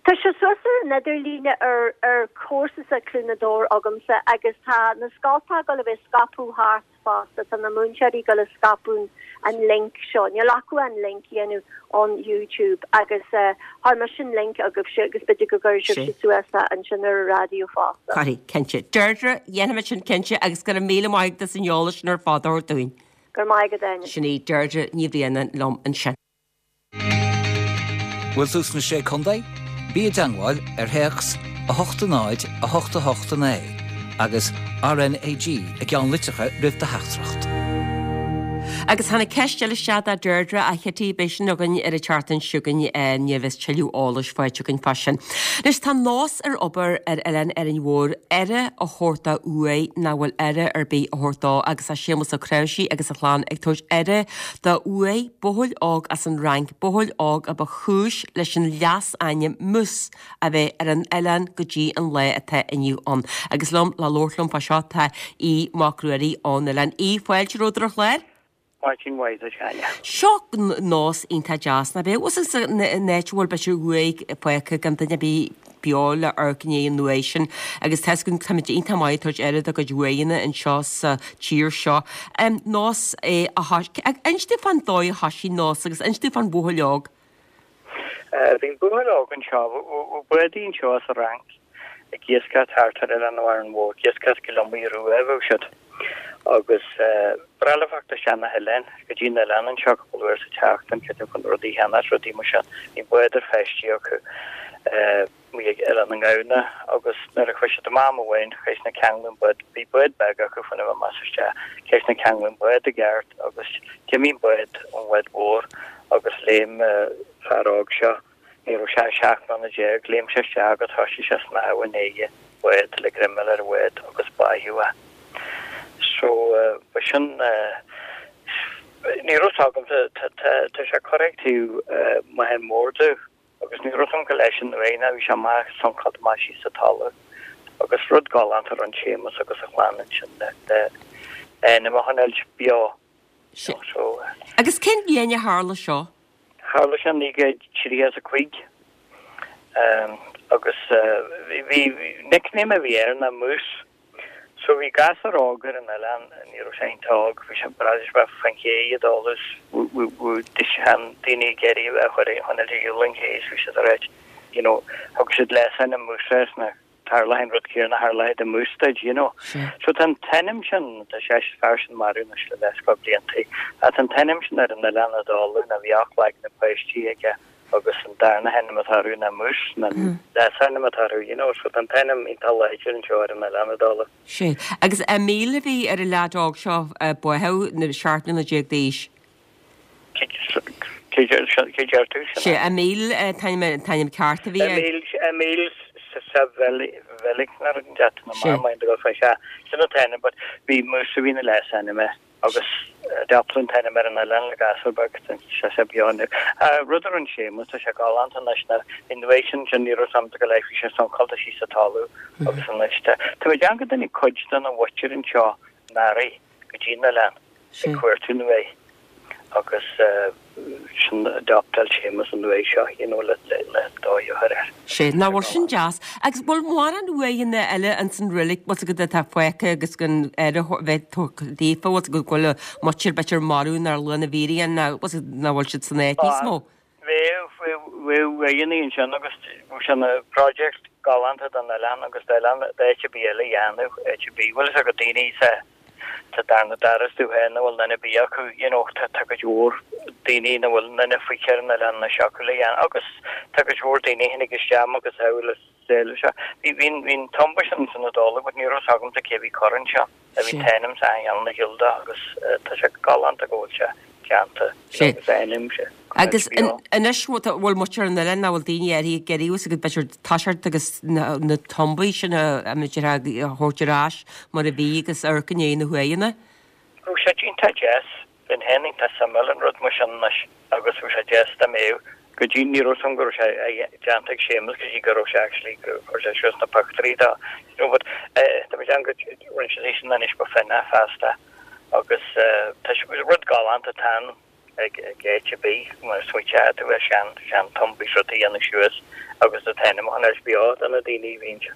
Tá sé suas ar an idirlíne ar ar chúrsa Cluain Dobhair agamsa agus tá na scoltacha ag dul a bheith scaipeadh thart fosta, tá na múinteoirí ag dul a scaipeadh an link seo, níl acu an link a dhéanamh on YouTube agus chuir mise an link agaibhse agus b'fhéidir go gcuirfidh sibhse suas é ansin ar an raidió fosta. Cuirfidh, cinnte. Deirdre, dhéanfaimid sin cinnte agus go raibh míle maith agat as an eolas sin ar fad a thabhairt dúinn. Go raibh maith agat, Áine. Sin í Deirdre Ní Bhraonáin liom ansin. Bhfuil tú sna Sé Contae? Bí i dteangmháil ar théacs a hocht a náid a hocht a hocht a naoi agus RnaG i gceannlitreacha roimh do theachtaireacht. Agus tháinig ceist eile isteach do Deirdre, a Chití, beidh sin againn ar an tseachtain seo chugainn nuair a bheas tuilleadh eolais faighte againn fá sin. Anois tá nós ar obair ar Oileán Árainn Mhór aire a thabhairt do uaigh nach bhfuil aire ar bith á thabhairt dó agus tá Séamus Ó Cnáimhsí agus a chlann ag tabhairt aire do uaigh buachaill óg as an Fhrainc, buachaill óg a ba chúis leis an leasainm Mousse a bheith ar an oileán go dtí an lá atá inniu ann. Agus liom le labhairt liom fá seo tá Aodh Mac Ruairí ón oileán. Aodh, fáilte romhat ar an chlár. Maidin mhaith duit, a Áine. Seo nós iontach deas, nach ea? Bhfuil a fhios agat an áit a bhfuil b'fhéidir uaigh fágtha gan duine ar bith beo le amharc i ndiaidh an uaigh sin agus tá 'fhios againn táimid iontach maith ag tabhairt aire dár gcuid uaigheanna anseo sa tír seo. Nós é a thoisigh, inis dúinn fán dóigh a thoisigh nós agus inis dúinn fán bhuachaill óg. Bhí an buachaill óg anseo, bhí bádaí anseo as an Fhrainc ag iascaireacht thart ar Oileán Árainn Mhór, ag iascaireacht go Liomaí Rua a bheadh siad agus ba ghnách leo theacht isteach na hoileáin, go dtí an oileán anseo cúpla uair sa tseachtain, creidim chun rudaí a cheannach, rudaí mar sin. Bhí bád ar feistí acu amuigh ag Oileán na nGamhna agus nuair a chuaigh siad amach am amháin, chaith siad ag ceangal an bád, bhí bád beag acu chun a bheith amach is isteach, chaith siad ag ceangal an bád i gceart agus d'imigh an bád ón bhád mhór agus léim fear óg seo, ní raibh sé ach seacht mbliana déag, léim sé isteach agus thoisigh sé snámh i ndiaidh an bhád le greim a fháil ar an bhád agus báitheadh é. So, ba sin, ní raibh 'fhios agam, tá sé curtha ag taobh Machaire Mór domh agus ní raibh 'fhios agam go leis an uaigh ná bhí sé amach, suncáilte amach síos sa talamh agus rud galánta a rinne Séamus agus a chlann ansin le ainm a choinneáilt beo. So. Agus cén bhliain a tharla seo? Tharla sé naoi gcéad tríocha is a cúig agus bhí nickname a bhí air ná Moose. So bhí gasúr óg ar an oileán, ní raibh sé iontach óg, bhí sé b'fhéidir bheith faoin ché ag dul is daoine ag iarraidh a chur a choinneáil ar shiúl an ché is bhí siad ag ráit you know thug siad leasainm Moose air sna tharla an rud céanna tharla do Moose duit, you know. So tá an t-ainm sin, tá sé fear sin marbh anois le leathscór blianta, ach tá an t-ainm sin ar an oileán i dtólamh ná bhí ocht leagan de páistí aige agus an darna hainm atá orthu ná Moose, ná leasainm atá orthu, you know, so tá an t-ainm iontach láidir anseo ar an oileán i dtólamh. Sea. Agus Emil a bhí ar an leaid óg seo a báthadh na seacht mbliana déag d'aois. Cé deir tú sin? Sea, Emil an t-ainm ceart a bhí air. Emil, Emil Savelik nó rud inteacht nó mar mind go fé sea, sin an t-ainm but bhí Moose a bhí ina leasainm air agus d'adoptáladh an t-ainm ar an oileán le gasúr beag tá sé beo inniu. Rud a rinne Séamus, tá sé galánta anois na in the way sin sin ní raibh sam go leith bhí sé suncáilte síos sa talamh agus anois tá tá mé ag déanamh go dtáinig cuid de na mhuintir anseo anuraidh go dtí an oileán ag cuartú na uaigh agus sin adoptáil Séamus an uaigh seo you know le le le dóigh a chur air. Sea, nach bhfuil sin deas. Agus bhfuil mórán uaigheanna eile ins an reilig, bhfuil 's agat atá fágtha agus gan aire a bheith tugtha daofa, bhfuil 's agat go bhfuil muintir b'fhéidir marbh nár luadh na bhfírinne ná bhfuil 's agat nach bhfuil siad san áit níos mó? Bheadh, bheadh uaigheanna ansin agus bheadh sé ina project galánta don oileán agus d'oileán d'áit ar bith eile a dhéanamh, áit ar bith. Bhfuil 's agat daoine sa Sa darna doras dú féin nach bhfuil duine ar bith acu, you know, tá tá cuid mhór daoine nach bhfuil duine faoi cheithre na leanna anois acu le dhéanamh agus tá cuid mhór daoine a tháinig isteach agus thall is eile seo. Bhí bhí bhí an tumba sin san Iodáil but ní raibh 's agamsa cé bhí curtha anseo. A bhí an t-ainm sa gheal na Gilda agus tá sé galánta go bhfuil sé déanta Sé. agus a ainm sé. Agus anois bhfuil muintir an oileáin ná bhfuil daoine áirithe ag iarraidh agus b'fhéidir toiseacht agus na tumbaí sin a b'fhéidir a thabhairt ar ais mar a bhí agus amharc i ndiaidh na huaigheanna. Bheadh sé iontach deas, bheinn féin iontach suimiúil in rud mar sin anois agus bheadh sé deas dá mbeadh go dtí ní raibh 's agam go raibh sé déanta ag Séamus go dtí go raibh sé actually go chuir sé suas na pictiúirí dó you know but tá mé ag déanamh go rinne sé sin anois go finne feasta agus tá sé rud galánta atá ann ag áit ar bith mar smaoiteoidh tú ar sean sean tumbaí is rud a dhéanamh suas agus an t-ainm a choinneáil beo do na daoine a bhí anseo.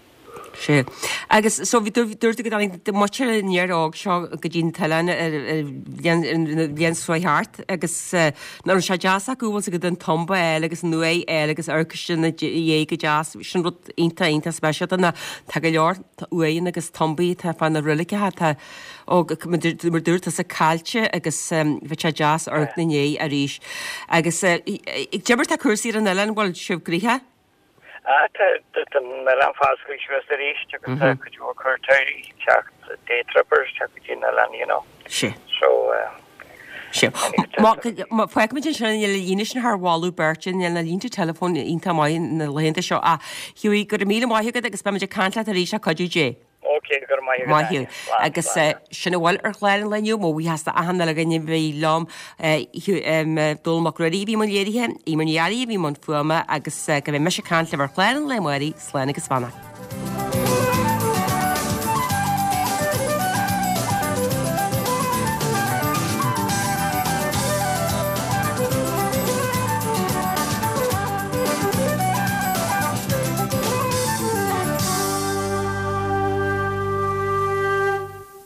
Sea. Agus so bhí dúirt tú go dtáinig muintir an fhir óg seo go dtí an t-oileán ar ar bhliain ar an bhliain seo thart agus nach raibh sé deas acu bhfuil 's agat an tumba a fháil agus an uaigh a fháil agus amharc ina dhiaidh go deas sin rud iontach iontach speisialta ná tá go leor uaigheanna agus tumbaí atá fá na reiligeacha atá Ó, mar dúirt tusa caillte agus bheadh sé deas amharc ina ndiaidh arís. Agus cad é mar tá cúrsaí ar an oileán, bhfuil sibh gnoitheach? Ah, tá an oileán foscailte suas arís agus tá cuid mhór cuairteoirí ag teacht, day trippers ag teacht go dtí an oileán, you know. Sea. So, eh, Sea. Fágfaimid ansin níl an líne sin thar mholadh beirte, níl na línte teileafóin iontach maith na laethanta seo ach Hughie, go raibh míle maith agat agus beimid ag caint leat arís le cuidiú Dé. Ok, go raibh maith agat, Maith thú. Áine. Slán, Agus slán. sin a bhfuil ar chlár an lae inniu, mo bhuíochas d'achan uile dhuine a bhí liom, Dónall Mac Ruairí a bhí i mbun léirithe, Eimear Ní Fhearraigh a bhí i mbun fuaime agus go mbeidh mise ag caint libh ar chlár an lae amárach, slán agus beannacht.